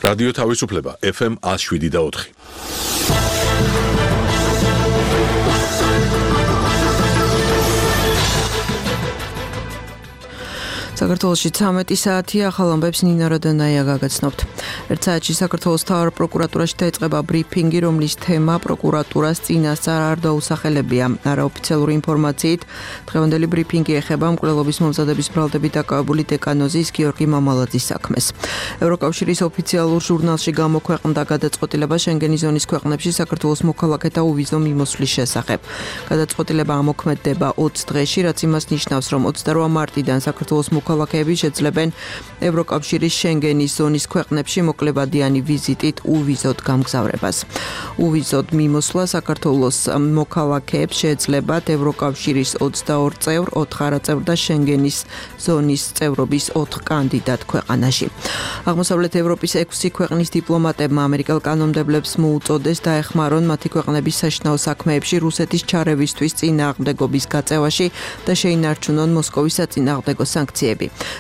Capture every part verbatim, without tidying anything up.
რადიო თავისუფლება ეფ ემ one oh seven და four. საქართველოში ცამეტი საათია, ახალ ამბებს ნინა როდონაია გაგაცნობთ. ერთ საათში საქართველოს მთავარ პროკურატურაში დაიწყება ბრიფინგი, რომლის თემა პროკურატურას წინასწარ არ დაუსახელებია. არაოფიციალური ინფორმაციით, დღევანდელი ბრიფინგი ეხება მკვლელობის მომზადების ბრალდებით დაკავებული დეკანოზის გიორგი მამალაძის საქმეს. ევროკავშირის ოფიციალურ ჟურნალში გამოქვეყნდა გადაწყვეტილება შენგენის ზონის ქვეყნებში საქართველოს მოქალაქეთა უვიზო მიმოსვლის შესახებ. გადაწყვეტილება ამოქმედდება ოცი დღეში, რაც იმას ნიშნავს, რომ ოცდაოთხ მარტიდან საქართველოს მოქალაქეები შეძლებენ ევროკავშირის შენგენის ზონის ქვეყნებში მოკლებადიანი ვიზიტით უვიზოდ გამგზავრებას. უვიზოდ მიმოსვლა საქართველოს მოქალაქეებს შეეძლებათ ევროკავშირის ოცდაორ წევრ, ოთხ არაწევრ და შენგენის ზონის წევრობის ოთხ კანდიდატ ქვეყანაში. აღმოსავლეთ ევროპის ექვსი ქვეყნის დიპლომატებმა ამერიკელ კანონმდებლებს მოუწოდეს დაეხმარონ მათი ქვეყნების საშინაო საქმეებში რუსეთის ჩარევისთვის წინააღმდეგობის გაწევაში და შეინარჩუნონ მოსკოვის საწინააღმდეგო სანქციები.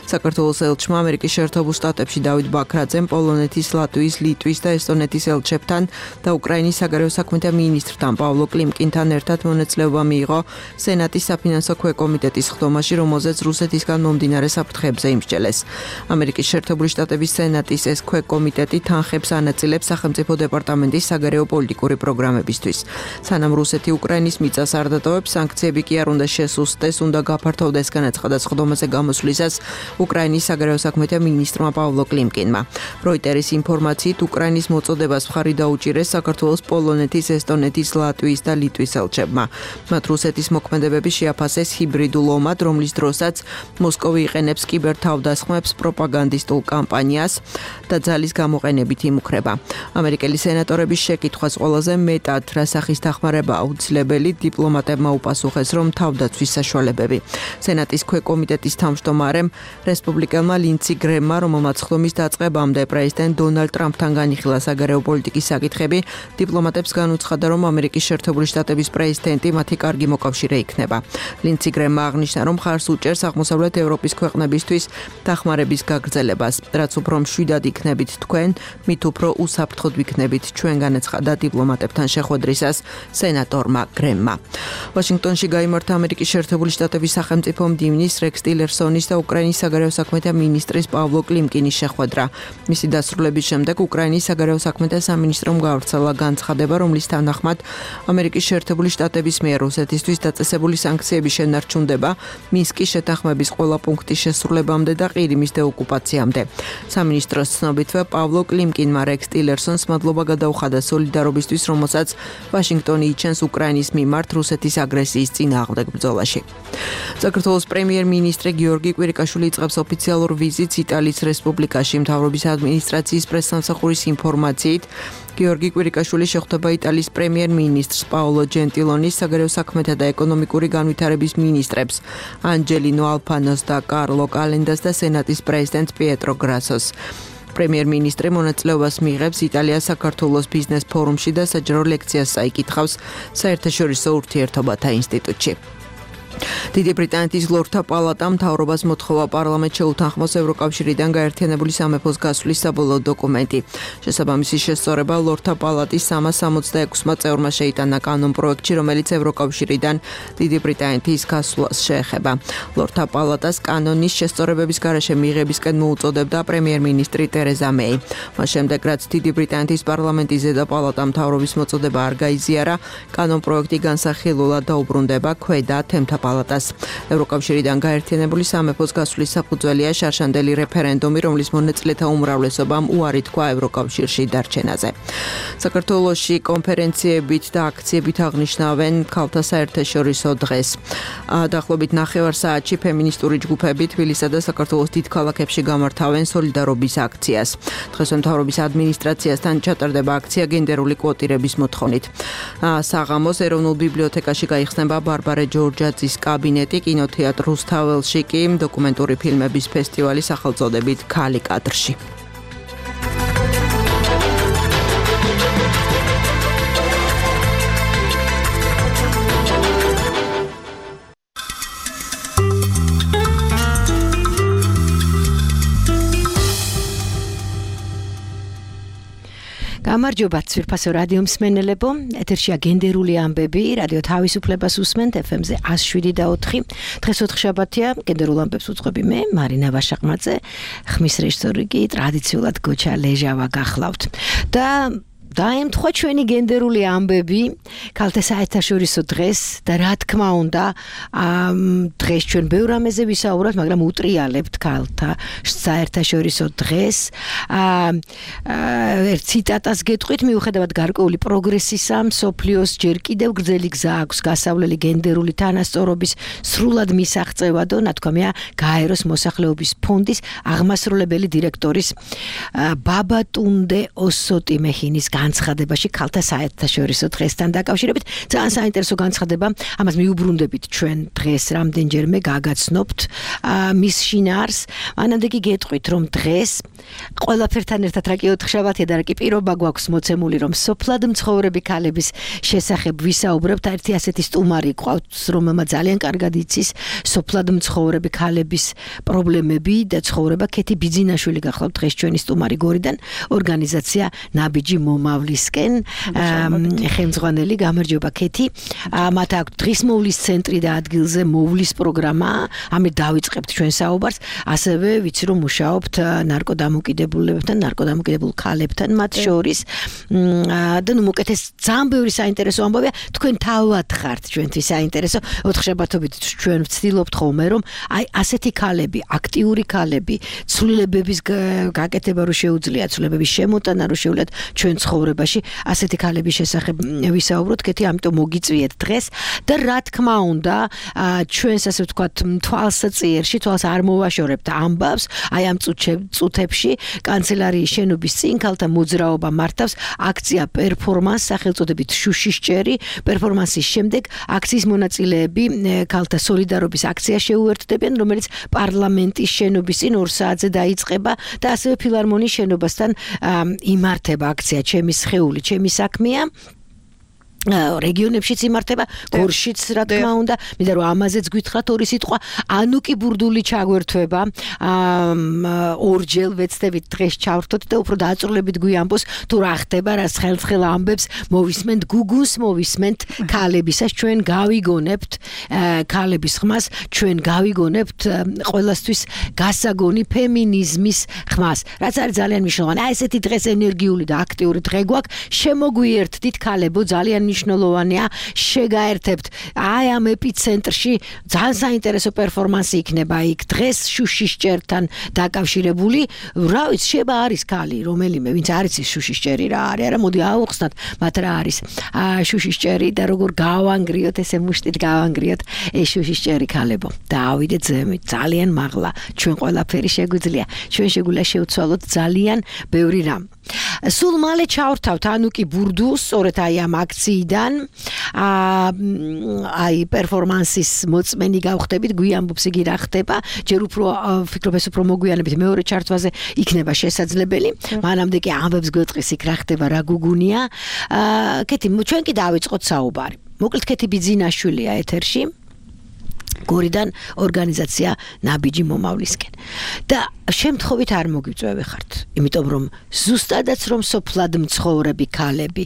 საქართველოს ელჩმა ამერიკის შეერთებულ შტატებში დავით ბაქრაძემ პოლონეთის, ლატვიის, ლიტვის და ესტონეთის ელჩებთან და უკრაინის საგარეო საქმეთა მინისტრთან პავლო კლიმკინთან ერთად მონაწილეობა მიიღო სენატის საფინანსო ქვეკომიტეტის ხდომაში, რომელზეც რუსეთისგან მომდინარე საფრთხეებზე იმსჯელეს. ამერიკის შეერთებული შტატების სენატის ეს ქვეკომიტეტი თანხებს ანაწილებს სახელმწიფო დეპარტამენტის საგარეო პოლიტიკური პროგრამებისთვის. სანამ რუსეთი უკრაინის მიწას არ დატოვებს, სანქციები კი არ უნდა შესუსტდეს, უნდა გაფართოვდეს განაცხადა ხდომაზე გამოსვლისას უკრაინის საგარეო საქმეთა მინისტრმა პავლო კლიმკინმა. როიტერის ინფორმაციით, უკრაინის მოწოდებას მხარი დაუჭირეს საქართველოს, პოლონეთის, ესტონეთის, ლატვიის და ლიტვის ელჩებმა. მათ რუსეთის მოქმედებები შეაფასეს ჰიბრიდულ ომად, რომლის დროსაც მოსკოვი იყენებს კიბერთავდასხმებს, პროპაგანდისტულ კამპანიას და ძალის გამოყენებით იმუქრება. ამერიკელი სენატორების შეკითხვას ყველაზე მეტად რა სახის დახმარება აუცილებელი, დიპლომატებმა უპასუხეს, რომ თავდაცვის საშუალებები. სენატის ქვეკომიტეტის თავმჯდომარემ რესპუბლიკელმა ლინცი გრემმა, რომელმაც ხდომის დაწყებამდე პრეზიდენტ დონალდ ტრამპთან განიხილა საგარეო პოლიტიკის საკითხები, დიპლომატებს განუცხადა, რომ ამერიკის შეერთებული შტატების პრეზიდენტი მათი კარგი მოკავშირე იქნება. ლინცი გრემმა აღნიშნა, რომ ხარს უჭერს აღმოსავლეთ ევროპის ქვეყნებისთვის დახმარების გაგრძელებას. რაც უფრო მშვიდად იქნებით თქვენ, მით უფრო უსაფრთხოდ ვიქნებით ჩვენ, განაცხადა დიპლომატებთან შეხვედრისას სენატორმა გრემმა. ვაშინგტონში გაიმართა ამერიკის შეერთებული შტატების სახელმწიფო მდივნის რექს ტილერსონის და უკრაინის საგარეო საქმეთა მინისტრის პავლო კლიმკინის შეხვედრა. მისი დასრულების შემდეგ უკრაინის საგარეო საქმეთა სამინისტრომ გავრცელა განცხადება, რომლის თანახმად ამერიკის შეერთებული შტატების მიერ რუსეთისთვის დაწესებული სანქციები შენარჩუნდება მინსკის შეთანხმების ყველა პუნქტის შესრულებამდე და ყირიმის დეოკუპაციამდე. სამინისტროს ცნობითვე პავლო კლიმკინმა რექს ტილერსონს მადლობა გადაუხადა სოლიდარობისთვის, რომელსაც ვაშინგტონი იჩენს უკრაინის მიმართ რუსეთის აგრესიის წინააღმდეგ ბრძოლაში. საქართველოს პრემიერ-მინისტრი გიორგი კვირიკაშვილი იწყებს ოფიციალურ ვიზიტს იტალიის რესპუბლიკაში. მთავრობის ადმინისტრაციის პრესსამსახურის ინფორმაციით, გიორგი კვირიკაშვილი შეხვდება იტალიის პრემიერ-მინისტრს პაოლო ჯენტილონის, საგარეო საქმეთა და ეკონომიკური განვითარების მინისტრებს ანჯელინო ალფანოს და კარლო კალენდას და სენატის პრეზიდენტს პიეტრო გრასოს. პრემიერ-მინისტრი მონაწილეობას მიიღებს იტალიას საქართველოს ბიზნეს ფორუმში და საჯარო ლექციას წაიკითხავს საერთაშორისო ურთიერთობათა ინსტიტუტში. დიდი ბრიტანეთის ლორდთა პალატამ მთავრობას მოთხოვა პარლამენტს შეუთანხმოს ევროკავშირიდან გაერთიანებული სამეფოს გასვლის საბოლოო დოკუმენტი. შესაბამისი შესწორება ლორდთა პალატის სამას სამოცდაექვსმა წევრმა შეიტანა კანონპროექტში, რომელიც ევროკავშირიდან დიდი ბრიტანეთის გასვლას შეეხება. ლორდთა პალატას კანონის შესწორებების გარეშე მიღებისკენ მოუწოდებდა პრემიერ-მინისტრი ტერეზა მეი. მას შემდეგ, რაც დიდი ბრიტანეთის პარლამენტის ზედა პალატამ მთავრობის მოწოდება არ გაიზიარა, კანონპროექტი განსახილულად დაუბრუნდება ქვედა თემთა პალატას. ევროკავშირიდან გაერთიანებული სამეფოს გასვლის საფუძველია შარშანდელი რეფერენდუმი, რომლის მონაწილეთა უმრავლესობამ უარი თქვა ევროკავშირში დარჩენაზე. საქართველოში კონფერენციებით და აქციებით აღნიშნავენ ქალთა საერთაშორისო დღეს. დაახლოებით ნახევარ საათში ფემინისტური ჯგუფები თბილისსა და საქართველოს დიდ ქალაქებში გამართავენ სოლიდარობის აქციას. დღეს მთავრობის ადმინისტრაციასთან ჩატარდება აქცია გენდერული კვოტირების მოთხოვნით. საღამოს ეროვნულ ბიბლიოთეკაში გაიხსნება ბარბარე ჯორჯაძის კაბინეტი, კინოთეატრ რუსთაველში კი დოკუმენტური ფილმების ფესტივალი სახელწოდებით ქალი კადრში. გამარჯობა ცვირფასო რადიო მსმენელებო, ეთერშია გენდერული ამბები, რადიო თავისუფლებას უსმენთ ეფ ემ-ზე one oh seven და four. დღეს ოთხშაბათია, გენდერულ ამბებს უძღვები მე, მარინა ვაშაყმაძე, ხმის რეჟისორი კი ტრადიციულად გოჩა ლეჟავა გახლავთ. და დაემთხვა ჩვენი გენდერული ამბები ქალთა საერთაშორისო დღეს და რა თქმა უნდა დღეს ჩვენ ბევრ რამეზე ვისაუბროთ, მაგრამ უტრიალებთ ქალთა საერთაშორისო დღეს. ერთ ციტატას გეტყვით, მიუხედავად გარკვეული პროგრესისა, მსოფლიოს ჯერ კიდევ გრძელი გზა აქვს გასავლელი გენდერული თანასწორობის სრულად მისაღწევადო, ნათქვამია გაეროს მოსახლეობის ფონდის აღმასრულებელი დირექტორის ბაბატუნდე ოსოტი მეჰინის განცხადებაში ქალთა საერთაშორისო დღესთან დაკავშირებით. ძალიან საინტერესო განცხადება, ამას მიუბრუნდებით ჩვენ დღეს რამდენჯერმე გაგაცნობთ მის შინაარს. მანამდე კი გეტყვით, რომ დღეს ყველაფერთან ერთად რა კი ოთხშაბათია და რა კი პირობა გვაქვს მოცემული, რომ სოფლად მცხოვრები ქალების შესახებ ვისაუბრებთ. ერთი ასეთი სტუმარი გვყავს, რომელმაც ძალიან კარგად იცის სოფლად მცხოვრები ქალების პრობლემები და ცხოვრება. ქეთი ბიძინაშვილი გახლავთ დღეს ჩვენი სტუმარი გორიდან, ორგანიზაცია ნაბიჯი მომავლისკენ, ხელმძღვანელი. გამარჯობა ქეთი. მათ აქვს დღისმოვლის ცენტრი და ადგილზე მოვლის პროგრამა. ამით დავიწყებთ ჩვენ საუბარს. ასევე ვიცი რომ მუშაობთ ნარკოდამოკიდებულებთან, ნარკოდამოკიდებულ ქალებთან მათ შორის. და ნუ მოკეთეს ძალიან ბევრი საინტერესო ამბავია. თქვენ თავად ხართ ჩვენთვის საინტერესო. ოთხშაბათობით ჩვენ ვცდილობთ ხოლმე რომ აი ასეთი ქალები, აქტიური ქალები, ცვლილებების გაკეთება რო შეუძლიათ, ცვლილებების შემოტანა რო შეუძლიათ ჩვენ ცხოვრებაში, ასეთი ქალების შესახებ ვისაუბროთ. ქეთი, ამიტომ მოგიწვიეთ დღეს და რა თქმა უნდა, ჩვენს ასე ვთქვათ თვალსაწყიერში, თვალს არ მოვაშორებთ ამბავს. აი ამ წუთებში კანცელარიის შენობის წინ ქალთა მოძრაობა მართავს აქცია პერფორმანს სახელწოდებით შუშისჭერი. პერფორმანსის შემდეგ აქციის მონაწილეები ქალთა სოლიდარობის აქცია შეუერთდებიან, რომელიც პარლამენტის შენობის წინ ორ საათზე დაიწყება და ასევე ფილარმონიის შენობასთან იმართება აქცია ჩემი სხეული, ჩემი საქმეა. რეგიონებშიც იმართება, გორშიც რა თქმა უნდა, მინდა რომ ამაზეც გითხრათ ორი სიტყვა. ანუკი ბურდული ჩაგვერთვება, ორჯერ ვეცდებით დღეს ჩავრთოთ და უფრო დააწრულებით გვიამბოს თუ რა ხდება, რა ხელხელ ამბებს მოვისმენთ, გუგუნს მოვისმენთ ქალებისას, ჩვენ გავიგონებთ ქალების ხმას, ჩვენ გავიგონებთ ყველასთვის გასაგონი ფემინიზმის ხმას, რაც არის ძალიან მნიშვნელოვანი. აი ესეთი დღეს ენერგიული და აქტიური დღე გვაქვს, შემოგვიერთდით ქალებო, ძალიან მნიშვნელოვანია შეგაერთებთ. აი ამ ეპიცენტრში ძალიან საინტერესო პერფორმანსი იქნება იქ დღეს შუშისჭერთან დაკავშირებული. რა ვიცი, შეება არის ქალი რომელიმე, ვინც არ იცის შუშისჭერი რა არის, არა მოდი ავუხსნათ მათ რა არის შუშისჭერი და როგორ გავანგრიოთ, ესე მუშტით გავანგრიოთ ეს შუშისჭერი ქალებო. და ავიდეთ ზემოთ, ძალიან მაღლა. ჩვენ ყველაფერი შეგვიძლია. ჩვენ შეგვიძლია შევცვალოთ ძალიან ბევრი რამ. სულ მალე ჩავრთავთ ანუკი ბურდუს, სწორედ აი ამ აქციიდან აი პერფორმანსის მოწმენი გავხდებით, გვიამბობს იგი რა ხდება. ჯერ უფრო ვფიქრობ ეს უფრო მოგვიანებით მეორე ჩართვაზე იქნება შესაძლებელი. მანამდე კი ამბებს გვეტყვის იქ რა ხდება, რა გუგუნია. ქეთი, ჩვენ კი დავიწყოთ საუბარი. მოკლედ ქეთი ბიძინაშვილია ეთერში. გორიდან ორგანიზაცია ნაბიჯი მომავლისკენ. და შემთხვევით არ მოგიწევი ხართ, იმიტომ რომ ზუსტადაც რომ სოფლად მცხოვრები ქალები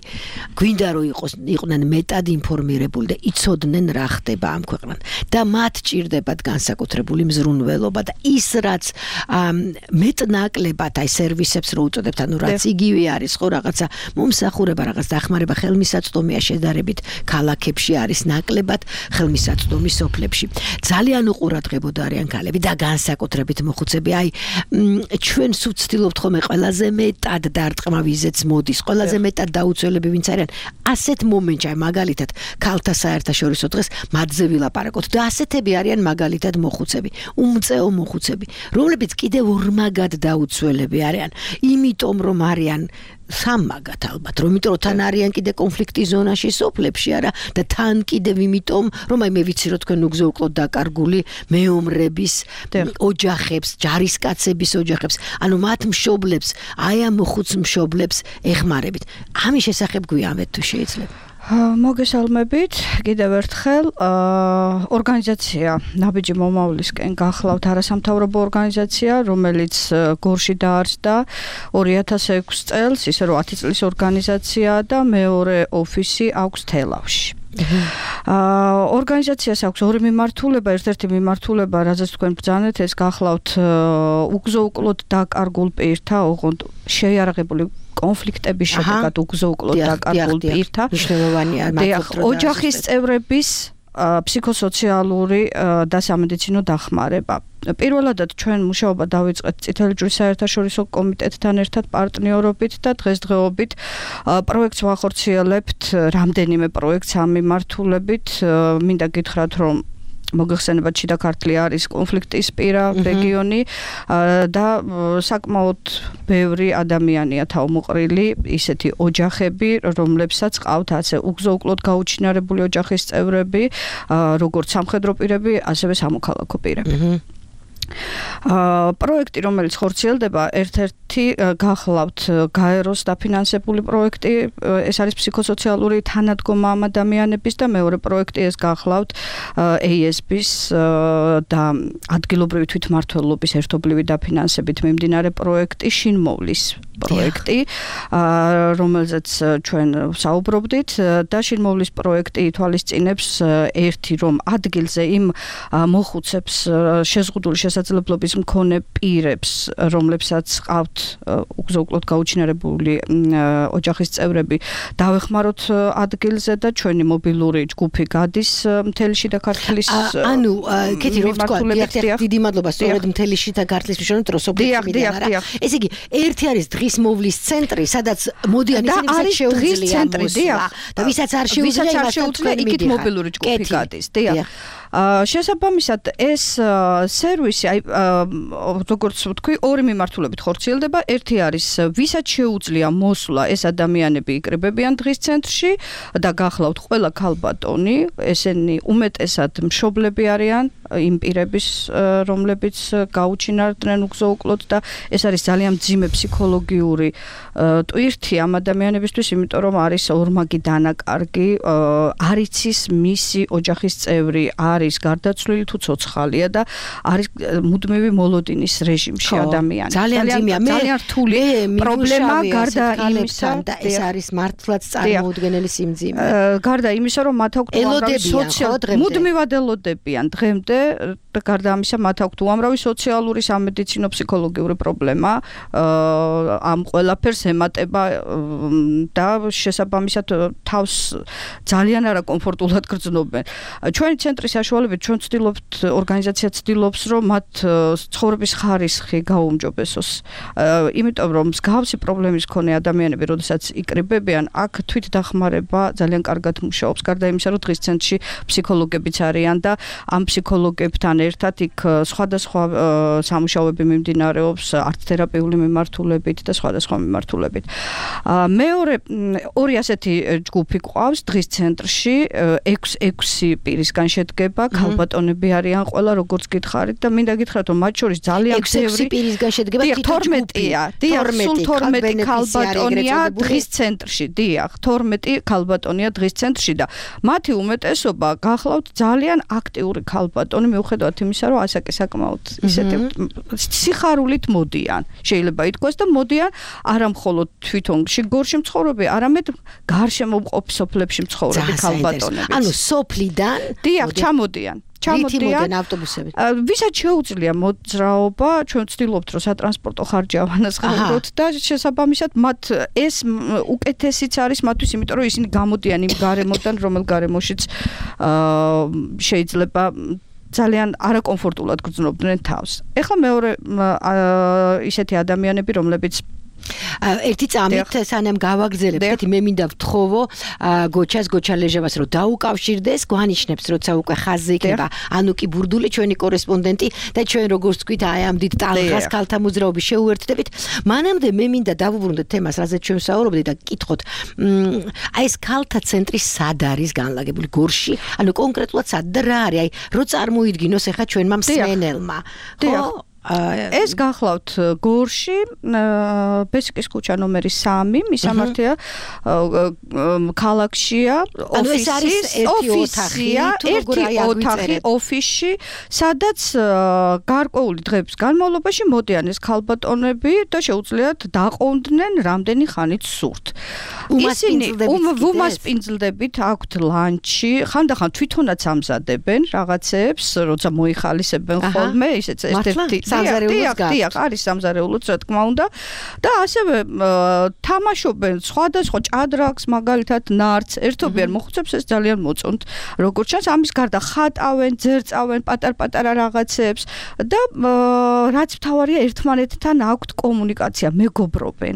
გვინდა რომ იყოს იყვნენ მეტად ინფორმირებული და იცოდნენ რა ხდება ამ ქვეყნად და მათ ჭირდებათ განსაკუთრებული მზრუნველობა და ის რაც მეტნაკლებად აი სერვისებს რო უწოდებთ, ანუ რაც იგივე არის ხო რაღაცა მომსახურება, რაღაც დახმარება, ხელმისაწვდომია შედარებით ქალაქებში არის ნაკლებად ხელმისაწვდომი სოფლებში. ძალიან უყურადღებოდ არიან ქალები და განსაკუთრებით მოხუცები. აი ჩვენ ვცდილობთ ხოლმე ყველაზე მეტად დარტყმა ვიზეც მოდის, ყველაზე მეტად დაუცველები ვინც არიან. ასეთ მომენტში, აი მაგალითად ქალთა საერთაშორისო დღეს მათზე ვილაპარაკოთ და ასეთები არიან მაგალითად მოხუცები, უმწეო მოხუცები, რომლებიც კიდევ ორმაგად დაუცველები არიან, იმიტომ რომ არიან სამაგათ ალბათ, რომ იმიტომ თან არიან კიდე კონფლიქტის ზონაში სოფლებში არა და თან კიდევ იმიტომ რომ აი მე ვიცი რომ თქვენ უგზო უკლოდ დაკარგული მეომრების ოჯახებს, ჯარისკაცების ოჯახებს, ანუ მათ მშობლებს, აი ამ მოხუც მშობლებს ეხმარებით. ამის შესახებ გვიამბეთ თუ შეიძლება. მოგესალმებით, კიდევ ერთხელ ორგანიზაცია ნაბიჯი მომავლისკენ გახლავთ არასამთავრობო ორგანიზაცია, რომელიც გორში დაარსდა ორი ათას ექვსი წელს, ისე რომ ათი წლის ორგანიზაცია და მეორე ოფისი აქვს თელავში. ორგანიზაციას აქვს ორი მიმართულება, ერთ-ერთი მიმართულება, რაზეც თქვენ ბრძანეთ, ეს გახლავთ უგზო-უკლოდ დაკარგულ პირთა, ოღონდ შეიარაღებული კონფლიქტების შედეგად უგზო-უკლოდ დაკარგულ პირთა. მნიშვნელოვანია მართლა ოჯახის წევრების ფსიქოსოციალური და სამედიცინო დახმარება. პირველადად ჩვენ მუშაობა დავიწყეთ წითელი ჯვრის საერთაშორისო კომიტეტთან ერთად პარტნიორობით და დღესდღეობით პროექტს ვახორციელებთ, რამდენიმე პროექტს ამ მიმართულებით. მინდა გითხრათ, რომ მოგეხსენებათ შიდა ქართლი არის კონფლიქტის პირა რეგიონი და საკმაოდ ბევრი ადამიანია თავმოყრილი, ისეთი ოჯახები, რომლებსაც ყავთ ასე უგზო-უკლოდ გაუჩინარებული ოჯახის წევრები, როგორც სამხედრო პირები, ასევე სამოქალაქო პირები. პროექტი, რომელიც ხორციელდება, ერთ-ერთი გახლავთ გაეროს დაფინანსებული პროექტი, ეს არის ფსიქოსოციალური თანადგომა ამ ადამიანების და მეორე პროექტი ეს გახლავთ ეი ეს ბის და ადგილობრივი თვითმმართველობის ერთობლივი დაფინანსებით მიმდინარე პროექტი შინმოვლის პროექტი, რომელზეც ჩვენ საუბრობდით და შინმოვლის პროექტი ითვალისწინებს ერთი, რომ ადგილზე იმ მოხუცებს შეზღუდული შესაძლებლობის მქონე პირებს, რომლებსაც ყავთ უგზო-უკლოდ გაუჩინარებული ოჯახის წევრები, დავეხმაროთ ადგილზე და ჩვენი მობილური ჯგუფი გადის მთელი შიდა ქართლის ანუ კეთი რო ვთქვა, დიდი მადლობა, სწორედ მთელი შიდა ქართლის მნიშვნელობით რო სოფლიო მიდიან. ესე იგი, ერთი არის დღის მოვლის центრი, სადაც მოდიან ისინი, ვისაც შეუძლია მოსვლა და ვისაც არ შეუძლია, იქით მობილური ჯგუფი გადის. დიახ. შესაბამისად ეს სერვისი, აი როგორც ვთქვი, ორი მიმართულებით ხორციელდება. ერთი არის ვისაც შეუძლია მოსვლა, ეს ადამიანები იკრიბებიან დღის ცენტრში და გახლავთ ყველა ქალბატონი, ესენი უმეტესად მშობლები არიან იმ პირების, რომლებიც გაუჩინარდნენ უგზო-უკლოდ და ეს არის ძალიან მძიმე ფსიქოლოგიური ტვირთი ამ ადამიანებისთვის, იმიტომ რომ არის ორმაგი დანაკარგი, არ იცის მისი ოჯახის წევრი არის გარდაცვლილი თუ ცოცხალია და არის მუდმივი მოლოდინის რეჟიმში ადამიანი. ძალიან მძიმეა, ძალიან რთული პრობლემა გარდა იმისა და ეს არის მართლაც წარმოუდგენელი სიმძიმე. გარდა იმისა, რომ მათ აქვთ სოციალური მუდმივად ელოდებიან დღემდე და გარდა ამისა მათ აქვთ უამრავი სოციალური, სამედიცინო, ფსიქოლოგიური პრობლემა, ამ ყველაფერს ემატება და შესაბამისად თავს ძალიან არაკომფორტულად გრძნობენ. ჩვენი ცენტრის საშუალებით ჩვენ ვცდილობთ, ორგანიზაცია ცდილობს, რომ მათ ცხოვრების ხარისხი გაუმჯობესოს. იმიტომ რომ მსგავსი პრობლემის მქონე ადამიანები, როდესაც იკრიბებიან, აქ თვითდახმარება ძალიან კარგად მუშაობს. გარდა იმისა, რომ დღის ცენტრში ფსიქოლოგებიც არიან და ამ ფსიქოლოგებთან ერთად იქ სხვადასხვა სამუშაოები მიმდინარეობს არტ-თერაპიული მიმართულებით და სხვადასხვა მიმართულებით. მეორე ორი ასეთი ჯგუფი ყავს დღის ცენტრში, ექვსი პირისგან შედგება, ქალბატონები არიან ყველა, როგორც გითხარით და მინდა გითხრათ, რომ მათ შორის ძალიან ექვსი პირისგან შედგება თორმეტია. დიახ, სულ თორმეტი ქალბატონია დღის ცენტრში. დიახ, თორმეტი ქალბატონია დღის ცენტრში და მათი უმეტესობა გახლავთ ძალიან აქტიური ქალბატონი, მიუხედავად იმისა, რომ ასაკი საკმაოდ ისეთი სიხარულით მოდიან. შეიძლება ითქვას და მოდიან არა მხოლოდ თვითონ გორში მცხოვრები, არამედ გარშემოყოფ სოფლებში მცხოვრები ქალბატონები. ანუ სოფლიდან დიახ, ჩამოდიან. ჩამოდიან ავტობუსებით. ვისაც შეუძლია მოძრაობა, ჩვენ ვცდილობთ, რომ სატრანსპორტო ხარჯი ავანაცხადოთ და შესაბამისად მათ ეს უკეთესიც არის მათთვის, იმიტომ რომ ისინი გამოდიან იმ გარემოდან, რომელ გარემოშიც შეიძლება ძალიან არაკომფორტულად გრძნობდნენ თავს. ეხლა მეორე ისეთი ადამიანები, რომლებიც ერთი წამით სანამ გავაგრძელებთ, მე მინდა ვთხოვო გოჩას, გოჩა ლეჟევას, რომ დაუკავშირდეს, გვანიშნებს, როცა უკვე ხაზზე იქნება ანუკი ბურდული, ჩვენი კორესპონდენტი და ჩვენ როგორც ვთქვით, აი ამ დიდ ტალღას ქალთა მოძრაობის შეუერთდებით. მანამდე მე მინდა დავუბრუნდეთ თემას, რაზეც ჩვენ ვსაუბრობდით და გკითხოთ, აი ეს ქალთა ცენტრი სად არის განლაგებული? გორში? ანუ კონკრეტულად სად და რა არის? აი რო წარმოიდგინოს ახლა ჩვენმა მსმენელმა. ხო? ეს გახლავთ გორში ბესიკის ქუჩა ნომერი სამი მისამართია ქალაქშია ოფისი ოფისია ერთი ოთახი ოფისში სადაც გარკვეული დღეების განმავლობაში მოდიან ეს ქალბატონები და შეუძლიათ დაყონდნენ რამდენი ხანით სურთ ისინი უმასპინძლდებით აქვთ ლანჩი ხანდახან თვითონაც ამზადებენ რაღაცებს როცა მოიხალისებენ ხოლმე ისეც ერთ-ერთი დიახ, დიახ, არის სამზარეულოც რა თქმა უნდა და ასევე თამაშობენ სხვადასხვა ჭადრაკს, მაგალითად ნარდს, ერთობიან მოხუცებს ეს ძალიან მოწონთ. როგორც ჩანს, ამის გარდა ხატავენ, ძერწავენ პატარ-პატარა რაღაცებს და რაც მთავარია ერთმანეთთან აქვთ კომუნიკაცია, მეგობრობენ.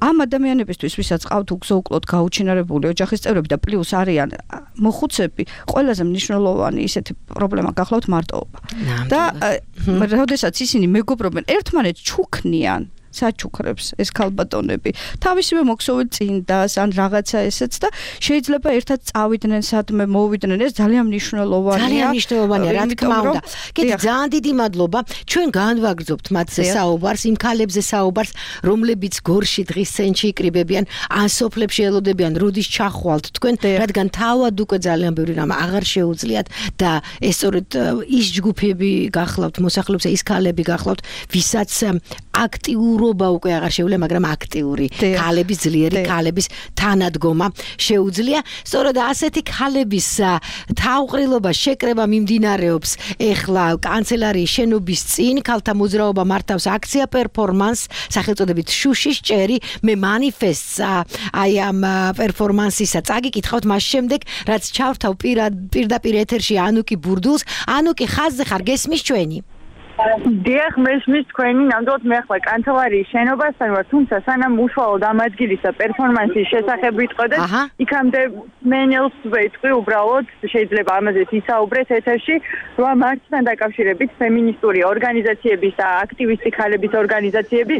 ამ ადამიანებისთვის, ვისაც ყავთ უგზო-უკლოდ გაუჩინარებული ოჯახის წევრები და პლუს არიან მოხუცები, ყველაზე მნიშვნელოვანი ისეთი პრობლემა გახლავთ მარტოობა. და როდესაც ისინი მეგობრობენ ერთმანეთს ჩუქნიან საჩუქრებს ეს ქალბატონები თავისივე მოქსოვილ წინდას ან რაღაცა ესეც და შეიძლება ერთად წავიდნენ სადმე მოვიდნენ ეს ძალიან მნიშვნელოვანია ძალიან მნიშვნელოვანია რა თქმა უნდა კიდე ძალიან დიდი მადლობა ჩვენ განვაგრძობთ მათზე საუბარს იმ ქალებზე საუბარს რომლებიც გორში დღის ცენტრში იკრიბებიან ან სოფლებში ელოდებიან როდის ჩახვალთ თქვენ რადგან თავად უკვე ძალიან ბევრი რამ აღარ შეუძლიათ და ეს სწორედ ის ჯგუფები გახლავთ მოსახლეობისა ის ქალები გახლავთ ვისაც აქტიურ რობა უკვე აღარ შეუძლია, მაგრამ აქტიური ქალების ძლიერი ქალების თანადგომა შეუძლია. სწორედ ასეთი ქალების თავყრილობა შეკრება მიმდინარეობს ეხლა კანცელარიის შენობის წინ, ქალთა მოძრაობა მართავს აქცია პერფორმანს სახელწოდებით შუშის ჭერი, მე მანიფესტს აი ამ პერფორმანსისა წაგიკითხავთ მას შემდეგ, რაც ჩავთავ პირდაპირ ეთერში ანუკი ბურდულს. ანუკი ხაზზე ხარ გესმის ჩვენი? დიახ, მესმის თქვენი ნამდვილად მე ახლა კანცელარიის შენობასთან ვარ, თუმცა სანამ უშუალოდ ამ ადგილისა პერფორმანსის შესახებ ვიტყოდეთ, იქამდე მენელს ვეთქვი უბრალოდ შეიძლება ამაზე ისაუბრეთ ეთერში, რომ მარცხთან დაკავშირებით ფემინისტური ორგანიზაციების და აქტივისტი ქალების ორგანიზაციები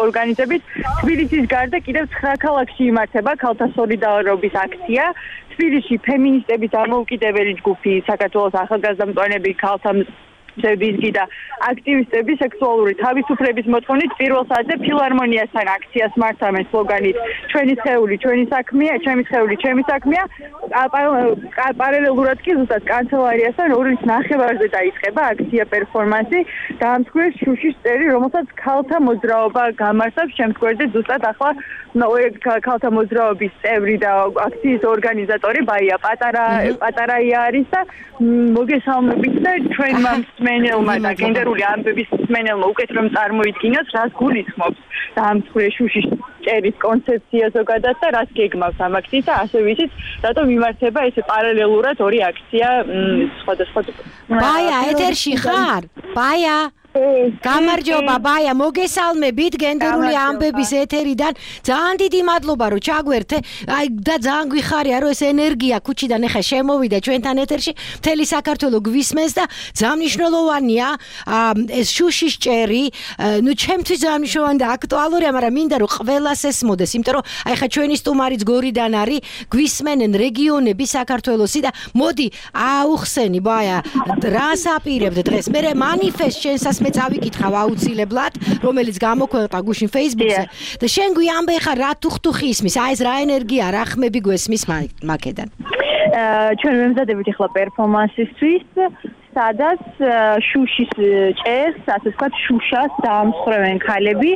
ორგანიზებით თბილისის გარდა კიდევ ცხრა ქალაქში იმართება ქალთა სოლიდარობის აქცია. თბილისში ფემინისტების დამოუკიდებელი ჯგუფი, საქართველოს ახალგაზრდა მწვანეები ქალთა სერბიზგი და აქტივისტები სექსუალური თავისუფლების მოთხოვნით პირველ საათზე ფილარმონიასთან აქციას მართავენ სლოგანით ჩვენი სხეული, ჩვენი საქმეა, ჩემი სხეული, ჩემი საქმეა. პარალელურად კი ზუსტად კანცელარიასთან ორის ნახევარზე დაიწყება აქცია პერფორმანსი დაამსხვრეს შუშის წერი, რომელსაც ქალთა მოძრაობა გამართავს შემთხვევაში ზუსტად ახლა ქალთა მოძრაობის წევრი და აქციის ორგანიზატორი ბაია პატარა პატარაია არის და მოგესალმებით და ჩვენმა მენელმა და გენდერული ამბების მენელმა უკეთ რომ წარმოიდგინოს რას გულისხმობს დაამსხვრეს შუშის წერის კონცეფცია ზოგადად და რას გეგმავს ამ აქციის და ასე ვიცით რატომ იმართება ეს პარალელურად ორი აქცია სხვადასხვა ბაია ეთერში ხარ ბაია გამარჯობა ბაია მოგესალმებით გენდერული ამბების ეთერიდან ძალიან დიდი მადლობა რომ ჩაგვერთე აი და ძალიან გვიხარია რომ ეს ენერგია ქუჩიდან ახლა შემოვიდა ჩვენთან ეთერში მთელი საქართველო გვისმენს და ძალიან მნიშვნელოვანია ეს შუშის ჭერი ნუ ჩემთვის ძალიან მნიშვნელოვანი და აქტუალურია მაგრამ მინდა რომ ყველას ესმოდეს იმიტომ რომ აი ხა ჩვენი სტუმარიც გორიდან არის გვისმენენ რეგიონები საქართველოსი და მოდი აუხსენი ბაია რას აპირებთ დღეს მე მანიფესტ შენსას მე წავიკითხავ აუცილებლად, რომელიც გამოქვეყნდა გუშინ Facebook-ზე. და შენ გვიამბე ხა რა თუხთუხი ისმის, აი ეს რა ენერგია, რა ხმები გვესმის მაკედან. ჩვენ ვემზადებით ახლა პერფორმანსისთვის, სადაც შუშის ჭერს, ასე ვთქვათ, შუშას დაამსხვრევენ ქალები.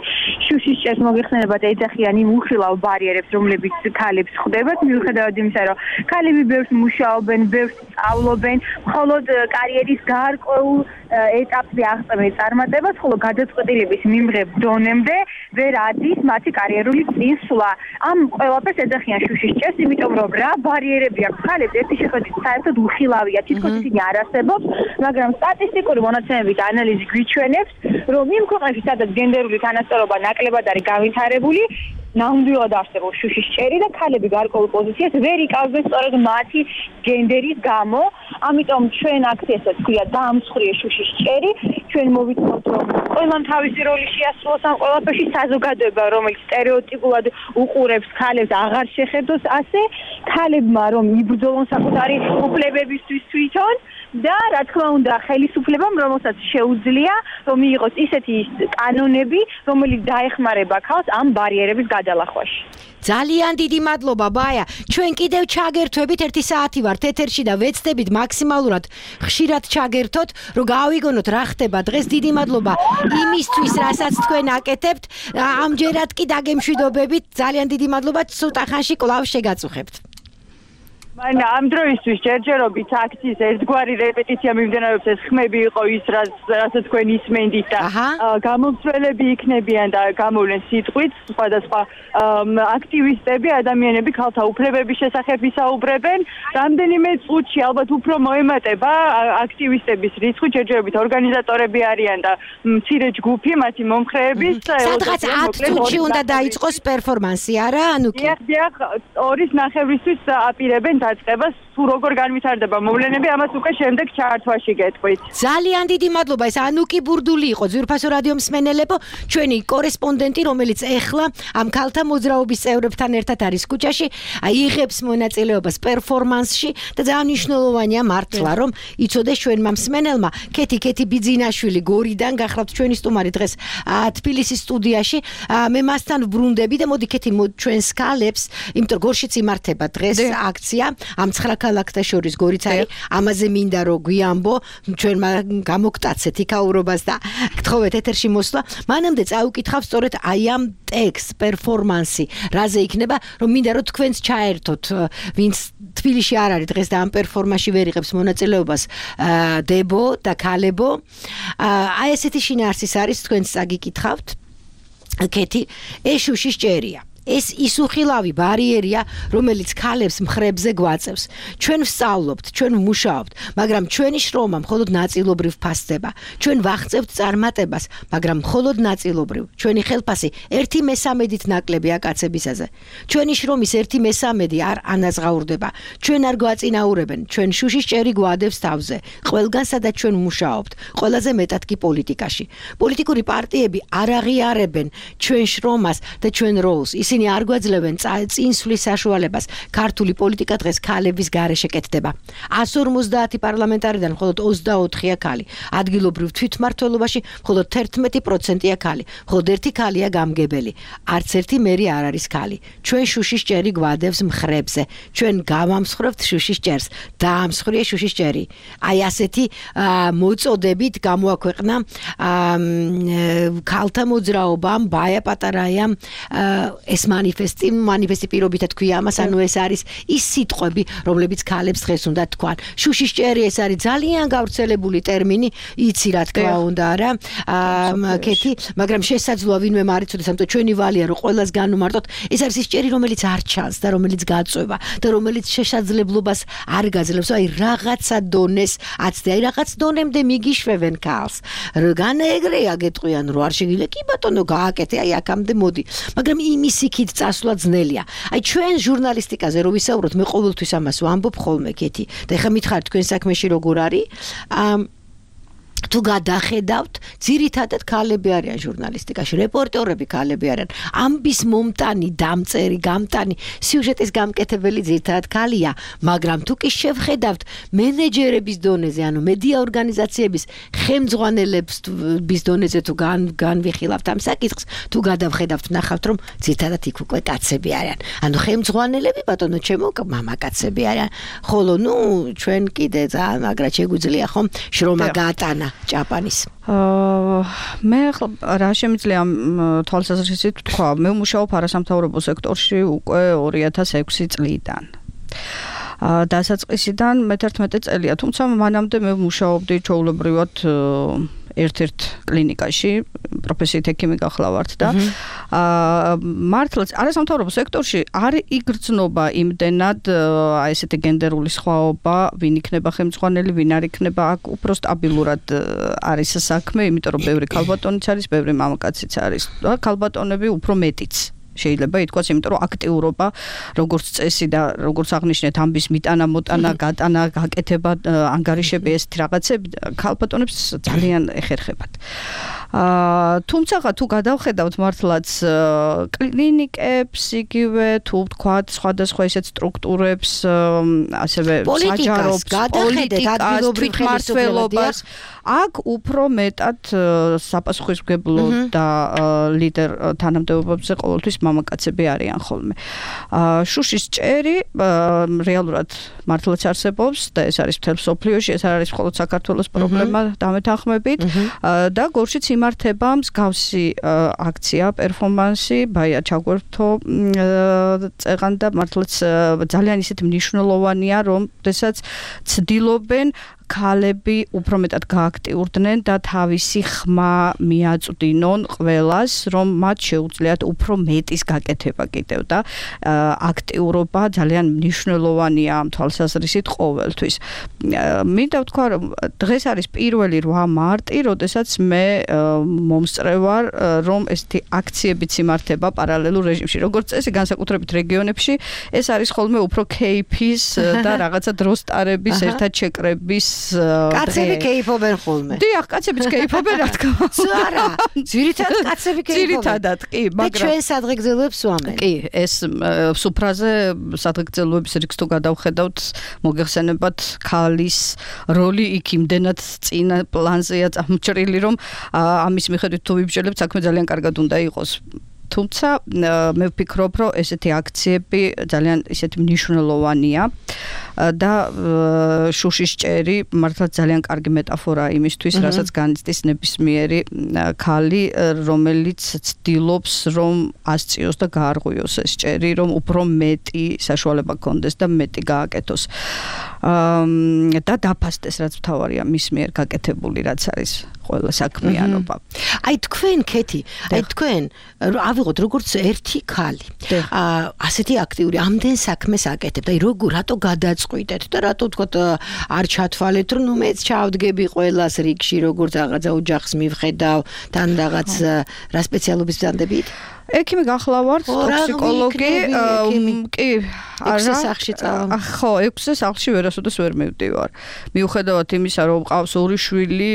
შუშის ჭერს მოგეხსენებათ ეძახიან იმ უხილავ ბარიერებს, რომლებიც ქალებს ხვდებათ, მიუხედავად იმისა, რომ ქალები ბევრს მუშაობენ, ბევრს სწავლობენ, მხოლოდ კარიერის გარკვეულ ეტაპზე აღწევენ წარმატებას, ხოლო გადაწყვეტილების მიმღებ დონემდე ვერ ადის მათი კარიერული წინსვლა. ამ ყველაფერს ეძახიან შუშის ჭერს, იმიტომ რომ რა ბარიერები აქვს ქალებს, ერთი შეხედვით საერთოდ უხილავია, თითქოს ისინი არ არსებობს, მაგრამ სტატისტიკური მონაცემებით ანალიზი გვიჩვენებს, რომ იმ ქვეყნებში, სადაც გენდერული თანასწორობა ნაკლებად არის განვითარებული, ნამდვილად არსებობს შუშის ჭერი და ქალები გარკვეულ პოზიციას ვერ იკავებენ სწორედ მათი გენდერის გამო. ამიტომ ჩვენ აქციასაც ქვია დაამსხვრიე შუშის ჭერი. ჩვენ მოვიწევთ რომ ყველამ თავისი როლი შეასრულოს ამ ყველაფერში საზოგადოება, რომელიც სტერეოტიპულად უყურებს ქალებს აღარ შეხედოს ასე, ქალებმა რომ იბრძოლონ საკუთარი უფლებებისთვის თვითონ და რა თქმა უნდა ხელისუფლებამ რომელსაც შეუძლია რომ მიიღოს ისეთი კანონები რომელიც დაეხმარება ქალს ამ ბარიერების გადალახვაში. ძალიან დიდი მადლობა ბაია. ჩვენ კიდევ ჩაგერთვებით ერთი საათი ვართ ეთერში და ვეცდებით მაქსიმალურად ხშირად ჩაგერთოთ, რომ გავიგონოთ რა ხდება დღეს. დიდი მადლობა იმისთვის, რასაც თქვენ აკეთებთ. ამჯერად კი დაგემშვიდობებით. ძალიან დიდი მადლობა. ცოტა ხანში კვლავ შეგაწუხებთ. მან ამ დროისთვის ჯერჯერობით აქციის ერთგვარი რეპეტიცია მიმდინარეობს ეს ხმები იყო ის რასაც თქვენ ისმენდით და გამომცველები იქნებიან და გამოვლენ სიტყვით სხვადასხვა აქტივისტები ადამიანები ქალთა უფლებების შესახებ ვისაუბრებენ რამდენიმე წუთში ალბათ უფრო მოემატება აქტივისტების რიცხვი ჯერჯერობით ორგანიზატორები არიან და მცირე ჯგუფი მათი მომხრეების სადღაც ათ წუთში უნდა დაიწყოს პერფორმანსი არა ანუ კი დიახ ორის ნახევრისთვის აპირებენ დაწყებას თუ როგორ განვითარდება მოვლენები ამას უკვე შემდეგ ჩართვაში გეტყვით. ძალიან დიდი მადლობა ეს ანუკი ბურდული იყო ძვირფასო რადიო მსმენელებო ჩვენი კორესპონდენტი რომელიც ეხლა ამ ქალთა მოძრაობის წევრებთან ერთად არის ქუჩაში იღებს მონაწილეობას პერფორმანსში და ძალიან მნიშვნელოვანია მართლა რომ იცოდეს ჩვენმა მსმენელმა კეთი კეთი ბიძინაშვილი გორიდან გახლავთ ჩვენი სტუმარი დღეს თბილისის სტუდიაში მე მასთან ვბრუნდები და მოდი კეთი ჩვენს ქალებს იმიტომ გორშიც იმართება დღეს აქცია ამ ცხრა ქალაქთა შორის გორიც არის ამაზე მინდა რომ გვიამბო ჩვენმა გამოგტაცეთ იქაურობას და გთხოვეთ ეთერში მოსვლა მანამდე წავიკითხავ სწორედ აი ამ ტექსტ პერფორმანსი რაზე იქნება რომ მინდა რომ თქვენც ჩაერთოთ ვინც თბილისში არ არის დღეს და ამ პერფორმანსში ვერ იღებს მონაწილეობას დებო და ქალებო აი ესეთი შინაარსის არის თქვენც წაგიკითხავთ კეთი ეს შუშის ჭერია ეს ისუხილავი ბარიერია, რომელიც ქალებს მხრებზე გვაწევს. ჩვენ ვსწავლობთ, ჩვენ ვმუშაობთ, მაგრამ ჩვენი შრომა მხოლოდ ნაწილობრივ ფასდება. ჩვენ ვაღწევთ წარმატებას, მაგრამ მხოლოდ ნაწილობრივ. ჩვენი ხელფასი ერთი მესამედით ნაკლებია კაცებისაზე. ჩვენი შრომის ერთი მესამედი არ ანაზღაურდება. ჩვენ არ გვაწინაურებენ, ჩვენ შუშის ჭერი გვადევს თავზე. ყველგან სადაც ჩვენ ვმუშაობთ, ყველაზე მეტად კი პოლიტიკაში. პოლიტიკური პარტიები არ აღიარებენ ჩვენ შრომას და ჩვენ როლს. ისინი არ გვაძლევენ წინსვლის საშუალებას. ქართული პოლიტიკა დღეს ქალების გარეშე კეთდება. εκατს ორმოცდაათი პარლამენტარიდან მხოლოდ ოცდაოთხია ქალი. ადგილობრივ თვითმმართველობაში მხოლოდ თერთმეტი პროცენტია ქალი. მხოლოდ ერთი ქალია გამგებელი. არც ერთი მერი არ არის ქალი. ჩვენ შუშის ჭერი გვადევს მხრებზე. ჩვენ გავამსხვრევთ შუშის ჭერს. დაამსხვრია შუშის ჭერი. აი ასეთი მოწოდებით გამოაქვეყნა ქალთა მოძრაობამ ბაია პატარაიამ ეს манифести манифести პირობითად თქვია ამას ანუ ეს არის ის სიტყვები რომლებიც ქალებს დღეს უნდა თქვან შუშის ჭერი ეს არის ძალიან გავრცელებული ტერმინი იცი რა თქმა უნდა რა კეთი მაგრამ შესაძლოა ვინმე არ იცოდეს ამიტომ ჩვენი ვალია რომ ყველას განვმარტოთ ეს არის ის ჭერი რომელიც არ ჩანს და რომელიც გაწვევა და რომელიც შესაძლებლობას არ გაძლევს აი რაღაცა დონეს აცდე აი რაღაც დონემდე მიგიშვებენ ქალს განეგრეა გეტყვიან რომ არ შეგიძლია კი ბატონო გააკეთე აი აქამდე მოდი მაგრამ იმის იქით წასვლა ძნელია. აი ჩვენ ჟურნალისტიკაზე რო ვისაუბროთ, მე ყოველთვის ამას ვამბობ ხოლმე კეთი. და ეხლა მითხარით თქვენ საქმეში როგორ არის? აა თუ გადახედავთ, ძირითადად ქალები არიან ჟურნალისტიკაში, რეპორტერები ქალები არიან. ამბის მომტანი, დამწერი, გამტანი, სიუჟეტის გამკეთებელი ძირითადად ქალია, მაგრამ თუ კი შევხედავთ მენეჯერების დონეზე, ანუ მედია ორგანიზაციების ხელმძღვანელების დონეზე თუ განვიხილავთ ამ საკითხს, თუ გადავხედავთ, ნახავთ, რომ ძირითადად იქ უკვე კაცები არიან. ანუ ხელმძღვანელები, ბატონო ჩემო, მამაკაცები არიან. ხოლო ნუ ჩვენ კიდე ძალიან მაგრად შეგვიძლია ხომ შრომა გაატანა ჭაპანის. მე რა შემიძლია თვალსაზრისით თქვა, მე ვმუშაობ არასამთავრობო სექტორში უკვე ორი ათას ექვსი წლიდან. დასაწყისიდან მეთერთმეტე წელია, თუმცა მანამდე მე ვმუშაობდი ჩვეულებრივად ერთ-ერთ კლინიკაში, პროფესიით ექიმი გახლავართ და აა მართლაც არასამთავრობო სექტორში არ იგრძნობა იმდენად აი ესეთი გენდერული სხვაობა, ვინ იქნება ხელმძღვანელი, ვინ არ იქნება, აქ უფრო სტაბილურად არის საქმე, იმიტომ რომ ბევრი ქალბატონიც არის, ბევრი მამაკაციც არის და ქალბატონები უფრო მეტიც. შეიძლება ითქვას, იმიტომ რომ აქტიურობა, როგორც წესი და როგორც აღნიშნეთ, ამბის მიტანა, მოტანა, გატანა, გაკეთება, ანგარიშები ეს რაღაცები ქალბატონებს ძალიან ეხერხებათ. აა თუმცა თუ გადავხედავთ მართლაც კლინიკებს იგივე თუ ვთქვათ სხვადასხვა ისეთ სტრუქტურებს ასევე საჯარო პოლიტიკას თვითმმართველობას აქ უფრო მეტად საპასუხისმგებლო და ლიდერ თანამდებობებზე ყოველთვის მამაკაცები არიან ხოლმე. შუშის ჭერი რეალურად მართლაც არსებობს და ეს არის მთელ მსოფლიოში, ეს არ არის მხოლოდ საქართველოს პრობლემა დამეთანხმებით და გორშიც იმართება მსგავსი აქცია, პერფორმანსი, ბაია ჩაგვერთო წეღან და მართლაც ძალიან ისეთი მნიშვნელოვანია, რომ შესაძ ცდილობენ ქალები უფრო მეტად გააქტიურდნენ და თავისი ხმა მიაწვდინონ ყველას, რომ მათ შეუძლიათ უფრო მეტის გაკეთება კიდევ და აქტიურობა ძალიან მნიშვნელოვანია ამ თვალსაზრისით ყოველთვის. მინდა ვთქვა, რომ დღეს არის პირველი რვა მარტი, როდესაც მე მომსწრე ვარ, რომ ესეთი აქციებიც იმართება პარალელურ რეჟიმში. როგორც წესი, განსაკუთრებით რეგიონებში, ეს არის ხოლმე უფრო кейფის და რაღაცა დროს ტარების, ერთად შეკრების კაცები კეიფობენ ხოლმე. დიახ, კაცებიც კეიფობენ, რა თქმა უნდა. არა, ძირითადად კაცები კეიფობენ. ძირითადად, კი, მაგრამ და ჩვენ სადღეგრძელოებს ვამენ. კი, ეს სუფრაზე სადღეგრძელოების რიგს თუ გადავხედავთ, მოგეხსენებათ ქალის როლი იქ იმდენად წინა პლანზეა წამოჭრილი, რომ ამის მიხედვით თუ ვიბრძოლებთ, საქმე ძალიან კარგად უნდა იყოს. თუმცა მე ვფიქრობ, რომ ესეთი აქციები ძალიან ისეთი მნიშვნელოვანია და შუშის ჭერი მართლაც ძალიან კარგი მეტაფორაა იმისთვის, რასაც განიცდის ნებისმიერი ქალი, რომელიც ცდილობს, რომ ასწიოს და გაარღვიოს ეს ჭერი, რომ უფრო მეტი საშუალება გქონდეს და მეტი გააკეთოს. და დაფასდეს, რაც მთავარია მის მიერ გაკეთებული, რაც არის ყველა საქმიანობა. აი თქვენ კეთი, აი თქვენ ავიღოთ როგორც ერთი ქალი. ასეთი აქტიური ამდენ საქმეს აკეთებთ. აი როგორ რატო გადაწყვიტეთ და რატო თქვათ არ ჩათვალეთ, რომ ნუ მეც ჩავდგები ყველას რიგში, როგორც რაღაცა ოჯახს მივხედავ, თან რაღაც რა სპეციალობის ვდანდებით? ექიმი გახლავართ, ტოქსიკოლოგი, კი, ექვსე სახლში წავა. ხო, ექვსე სახლში ვერასოდეს ვერ მივდივარ. მიუხედავად იმისა, რომ ყავს ორი შვილი,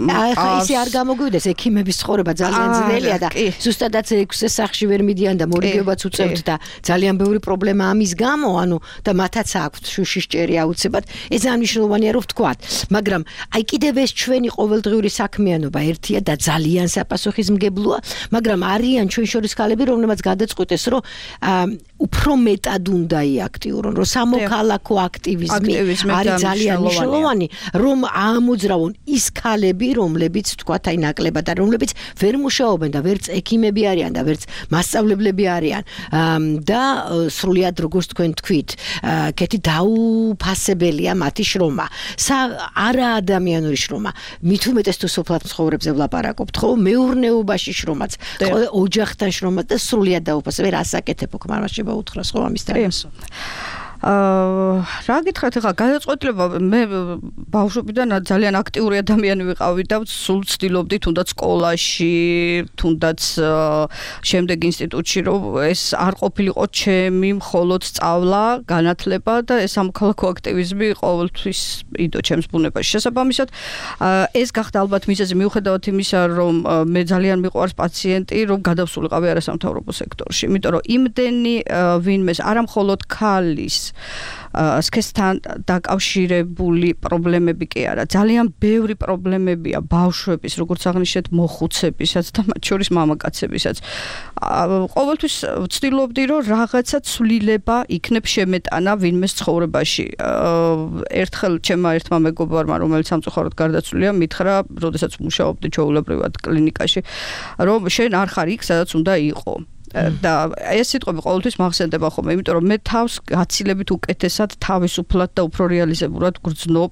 ახლა ისე არ გამოგვიდეს, ექიმების ცხოვრება ძალიან ძნელია და ზუსტადაც ექვსე სახლში ვერ მიდიან და მორიგეობაც უწევთ და ძალიან ბევრი პრობლემა ამის გამო, ანუ და მათაც აქვთ შუშის ჭერი აუცილებლად. ეს ძალიან მნიშვნელოვანია, რომ ვთქვათ, მაგრამ აი კიდევ ეს ჩვენი ყოველდღიური საქმიანობა ერთია და ძალიან საპასუხისმგებლოა, მაგრამ არიან ჩვენ შორის ქალები, რომლებმაც გადაწყვიტეს, რომ უფრო მეტად უნდა იაქტიურონ, რომ სამოქალაქო აქტივიზმი არის ძალიან მნიშვნელოვანი, რომ ამოძრავონ ის ქალები, რომლებიც თქვათ აი ნაკლებად და რომლებიც ვერ მუშაობენ და ვერც ექიმები არიან და ვერც მასწავლებლები არიან და სრულიად როგორც თქვენ თქვით, კეთი დაუფასებელია მათი შრომა. არა ადამიანური შრომა. მით უმეტეს თუ სოფლად მცხოვრებზე ვლაპარაკობთ, ხო, მეურნეობაში შრომაც, ოჯახთან შრომა და სრულიად დაუფასებელ ასაკეთებ უკმარვაში უთხრას ხო ამის თემას. აა რა გითხრათ ახლა გადაწყვეტილება მე ბავშვობიდან ძალიან აქტიური ადამიანი ვიყავი და სულ ცდილობდი თუნდაც სკოლაში, თუნდაც შემდეგ ინსტიტუტში, რომ ეს არ ყოფილიყო ჩემი მხოლოდ სწავლა, განათლება და ეს სამოქალაქო აქტივიზმი ყოველთვის იდო ჩემს ბუნებაში. შესაბამისად, ეს გახდა ალბათ მიზეზი მიუხედავად იმისა, რომ მე ძალიან მიყვარს პაციენტი, რომ გადავსულიყავი არასამთავრობო სექტორში, იმიტომ რომ იმდენი ვინმეს არა მხოლოდ ქალის სქესთან დაკავშირებული პრობლემები კი არა, ძალიან ბევრი პრობლემებია ბავშვების, როგორც აღნიშნეთ, მოხუცებისაც და მათ შორის მამაკაცებისაც. ყოველთვის ვცდილობდი, რომ რაღაცა ცვლილება იქნებ შემეტანა ვინმეს ცხოვრებაში. ერთხელ ჩემმა ერთმა მეგობარმა, რომელიც სამწუხაროდ გარდაცვლილია, მითხრა, როდესაც მუშაობდი ჩვეულებრივად კლინიკაში, რომ შენ არ ხარ იქ, სადაც უნდა იყო. და ეს სიტყვები ყოველთვის მახსენდება ხოლმე, იმიტომ რომ მე თავს გაცილებით უკეთესად, თავისუფლად და უფრო რეალიზებურად გრძნობ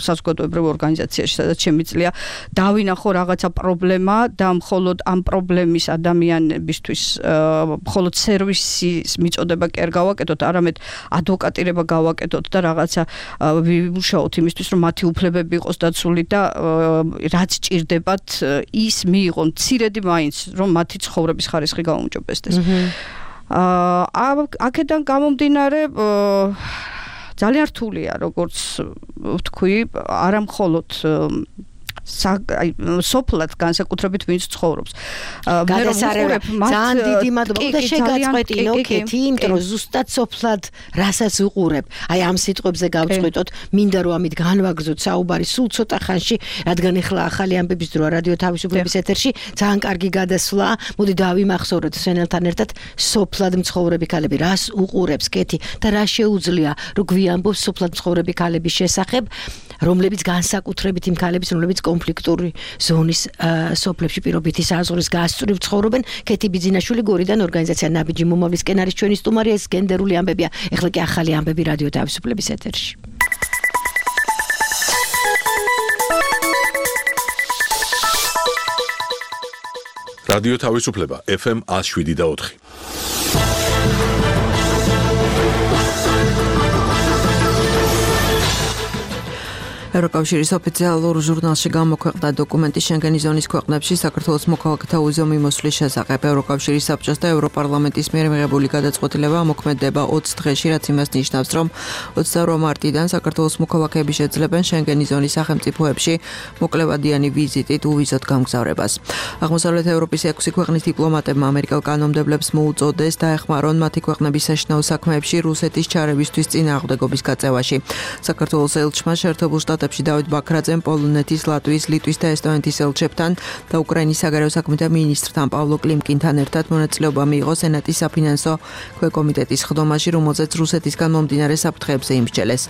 საზოგადოებრივ ორგანიზაციაში, სადაც შემიძლია დავინახო რაღაცა პრობლემა და მხოლოდ ამ პრობლემის ადამიანებისთვის მხოლოდ სერვისის მიწოდება კი არ გავაკეთოთ, არამედ ადვოკატირება გავაკეთოთ და რაღაცა ვიმუშაოთ იმისთვის, რომ მათი უფლებები იყოს დაცული და რაც ჭირდებათ, ის მიიღონ მცირედი მაინც, რომ მათი ცხოვრების ხარისხი გაუმჯობესდეს. აა აქედან გამომდინარე ძალიან რთულია, როგორც ვთქვი, არა მხოლოდ აი სოფლად განსაკუთრებით ვინც ცხოვრობს. მე რომ უყურებ ძალიან დიდი მადლობა და შეგაწყვეტინო კეთი, იმიტომ რომ ზუსტად სოფლად რასაც უყურებ. აი ამ სიტყვებზე გავწყვიტოთ, მინდა რომ ამით განვაგრძოთ საუბარი სულ ცოტა ხანში, რადგან ახლა ახალი ამბების დროა რადიო თავისუფლების ეთერში, ძალიან კარგი გადასვლა. მოდი დავიმახსოვროთ სვენელთან ერთად სოფლად მცხოვრები ქალები რას უყურებს კეთი და რა შეუძლია რომ გვიამბობს სოფლად მცხოვრები ქალების შესახებ, რომლებიც განსაკუთრებით იმ ქალების, რომლებიც კონფლიქტური ზონის სოფლებში პირობითი საზღვრის გასწვრივ ცხოვრობენ. კეთი ბიძინაშვილი გორიდან ორგანიზაცია ნაბიჯი მომავლისკენ არის ჩვენი სტუმარი, ეს გენდერული ამბებია. ეხლა კი ახალი ამბები რადიო თავისუფლების ეთერში. რადიო თავისუფლება ეფ ემ one oh seven და four. ევროკავშირის ოფიციალურ ჟურნალში გამოქვეყნდა დოკუმენტი შენგენის ზონის ქვეყნებში საქართველოს მოქალაქეთა უზომი მოსვლის შესახებ. ევროკავშირის საბჭოს და ევროპარლამენტის მიერ მიღებული გადაწყვეტილება მოქმედება ოცი დღეში, რაც იმას ნიშნავს, რომ ოცდაორ მარტიდან საქართველოს მოქალაქეები შეძლებენ შენგენის ზონის სახელმწიფოებში მოკლევადიანი ვიზიტით უვიზოთ გამგზავრებას. აღმოსავლეთ ევროპის ექვსი ქვეყნის დიპლომატებმა ამერიკელ კანონმდებლებს მოუწოდეს დაეხმარონ მათი ქვეყნების საშინაო საქმეებში რუსეთის ჩარევისთვის წინააღმდეგობის გაწევაში. საქართველოს ელჩმა შეერთებულ შტატებში დავით ბაქრაძემ პოლონეთის, ლატვიის, ლიტვის და ესტონეთის ელჩებთან და უკრაინის საგარეო საქმეთა მინისტრთან პავლო კლიმკინთან ერთად მონაწილეობა მიიღო სენატის საფინანსო ქვეკომიტეტის ხდომაში, რომელზეც რუსეთისგან მომდინარე საფრთხეებზე იმსჯელეს.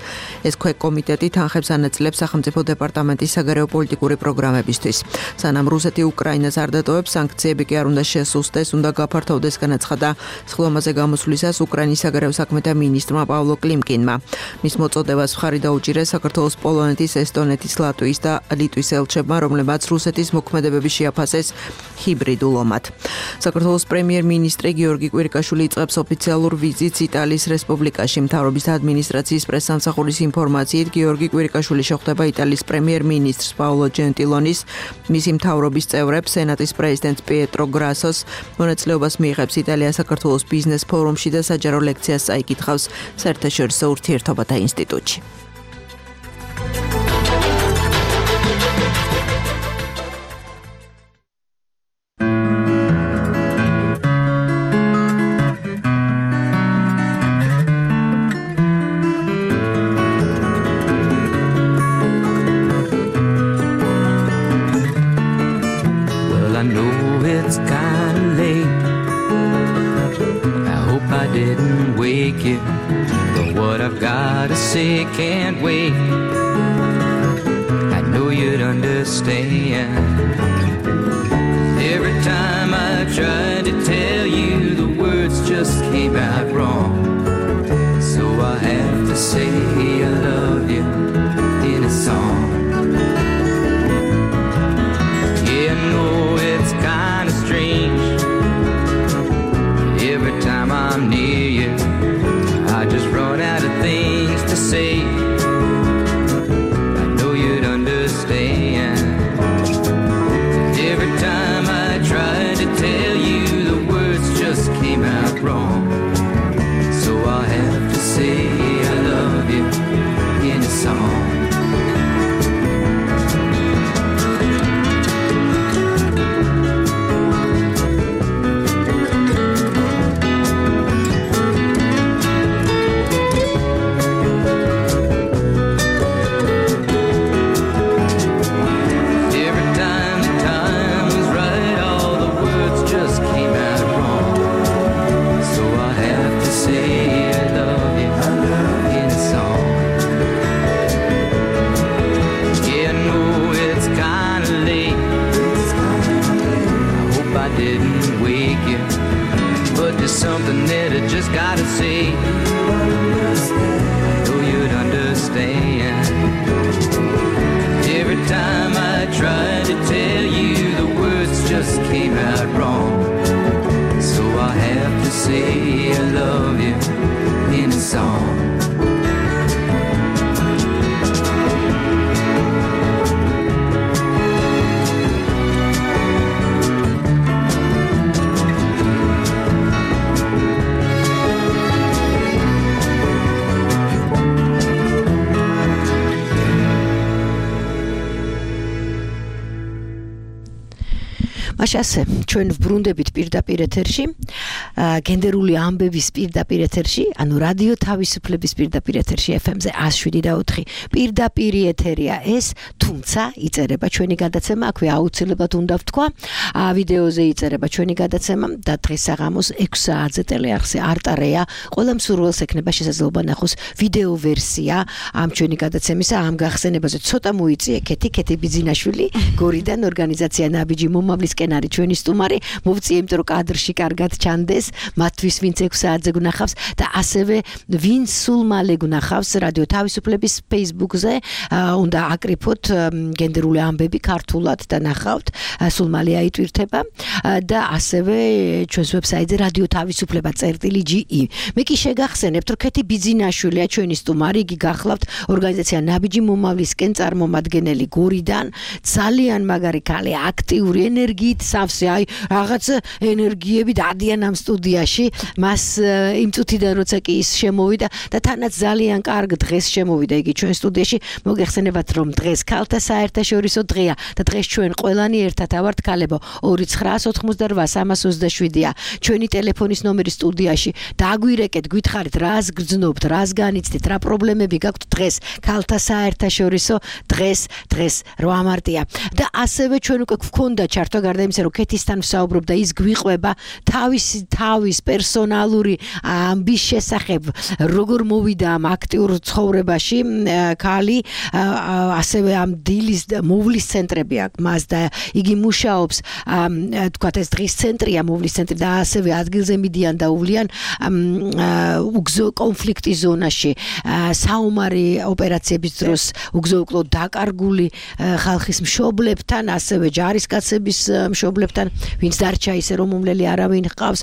ეს ქვეკომიტეტი თანხებს ანაწილებს სახელმწიფო დეპარტამენტის საგარეო პოლიტიკური პროგრამებისთვის. სანამ რუსეთი უკრაინას არ დატოვებს, სანქციები კი არ უნდა შესუსტდეს, უნდა გაფართოვდეს, განაცხადა სხდომაზე გამოსვლისას უკრაინის საგარეო საქმეთა მინისტრმა პავლო კლიმკინმა. მის მოწოდებას მხარი დაუჭირეს საქართველოს, პოლონეთის, ესტონეთის, ლატვიის და ლიტვის ელჩებმა, რომლებმაც რუსეთის მოქმედებები შეაფასეს ჰიბრიდულ ომად. საქართველოს პრემიერ-მინისტრი გიორგი კვირიკაშვილი იწყებს ოფიციალურ ვიზიტს იტალიის რესპუბლიკაში. მთავრობის ადმინისტრაციის პრესსამსახურის ინფორმაციით, გიორგი კვირიკაშვილი შეხვდება იტალიის პრემიერ-მინისტრს პაოლო ჯენტილონის, მისი მთავრობის წევრებს, სენატის პრეზიდენტს პიეტრო გრასოს, მონაწილეობას მიიღებს იტალია-საქართველოს ბიზნეს ფორუმში და საჯარო ლექციას წაიკითხავს საერთაშორისო ურთიერთობათა ინსტიტუტში. Can't wait. I know you'd understand. Every time I tried to tell you, the words just came out wrong. So I have to say I love you in a song. Yeah, I know it's kind of strange. Every time I'm near you, I just run out of things to say. I know you'd understand. Every time I tried to tell you, the words just came out wrong. So I have to say I love you in a song. Something that I just gotta say. I know you'd understand. Every time I tried to tell you, the words just came out wrong. So I have to say I love you in a song. მაშ ასე ჩვენ ვბრუნდებით პირდაპირ ეთერში გენდერული ამბების პირდაპირ ეთერში ანუ რადიო თავისუფლების პირდაპირ ეთერში ეფ ემ-ზე one oh seven და four პირდაპირ ეთერია ეს თუმცა იწერება ჩვენი გადაცემა აქვე აუცილებლად უნდა ვთქვა ვიდეოზე იწერება ჩვენი გადაცემა და დღეს საღამოს six საათზე ტელეარხზე არტარეა ყველა მსურველს ექნება შესაძლებლობა ნახოს ვიდეო ვერსია ამ ჩვენი გადაცემისა ამ გახსენებაზე ცოტა მოიწიე კეთი კეთი ბიძინაშვილი გორიდან ორგანიზაცია ნაბიჯი მომავლისკენ არის ჩვენი სტუმარი მოვწიე იმიტომ რომ კადრში კარგად ჩანდეს მათთვის ვინც six საათზე გნახავს და ასევე ვინც სულ მალე გნახავს რადიო თავისუფლების Facebook-ზე უნდა აკრიფოთ გენდერული ამბები ქართულად და ნახავთ სულ მალე აიტვირთება და ასევე ჩვენს ვებსაიტზე რადიო თავისუფლება წერტილი ჯი ი მე კი შეგახსენებთ რომ კეთი ბიძინაშვილია ჩვენი სტუმარი იგი გახლავთ ორგანიზაცია ნაბიჯი მომავლისკენ წარმომადგენელი გორიდან ძალიან მაგარი ქალი აქტიური ენერგიით სავსე აი რაღაც ენერგიები დადიან ამ სტუდიაში მას იმ წუთიდან როცა კი ის შემოვიდა და თანაც ძალიან კარგ დღეს შემოვიდა იგი ჩვენ სტუდიაში მოგეხსენებათ რომ დღეს ქალთა საერთაშორისო დღეა და დღეს ჩვენ ყველანი ერთად ავართ ქალებო two nine four eight three three seven ჩვენი ტელეფონის ნომერი სტუდიაში დაგვირეკეთ გითხარით რას გრძნობთ რას განიცდით რა პრობლემები გაქვთ დღეს ქალთა საერთაშორისო დღეს დღეს eight მარტია და ასევე ჩვენ უკვე გვქონდა ჩართვა გარდა იმისა რომ კეთისთან ვსაუბრობ და ის გვიყვება თავისი თავის პერსონალური ამბის შესახებ როგორ მოვიდა ამ აქტიურ ცხოვრებაში ქალი ასევე ამ დილის მოვლის ცენტრები აქვს მას და იგი მუშაობს თქვათ ეს დღის ცენტრია მოვლის ცენტრი და ასევე ადგილზე მიდიან და უვლიან უგზო კონფლიქტის ზონაში საომარი ოპერაციების დროს უგზო-უკლოდ დაკარგული ხალხის მშობლებთან ასევე ჯარისკაცების მშობლებთან ვინც დარჩა ისე რომ უმლელი არავინ ჰყავს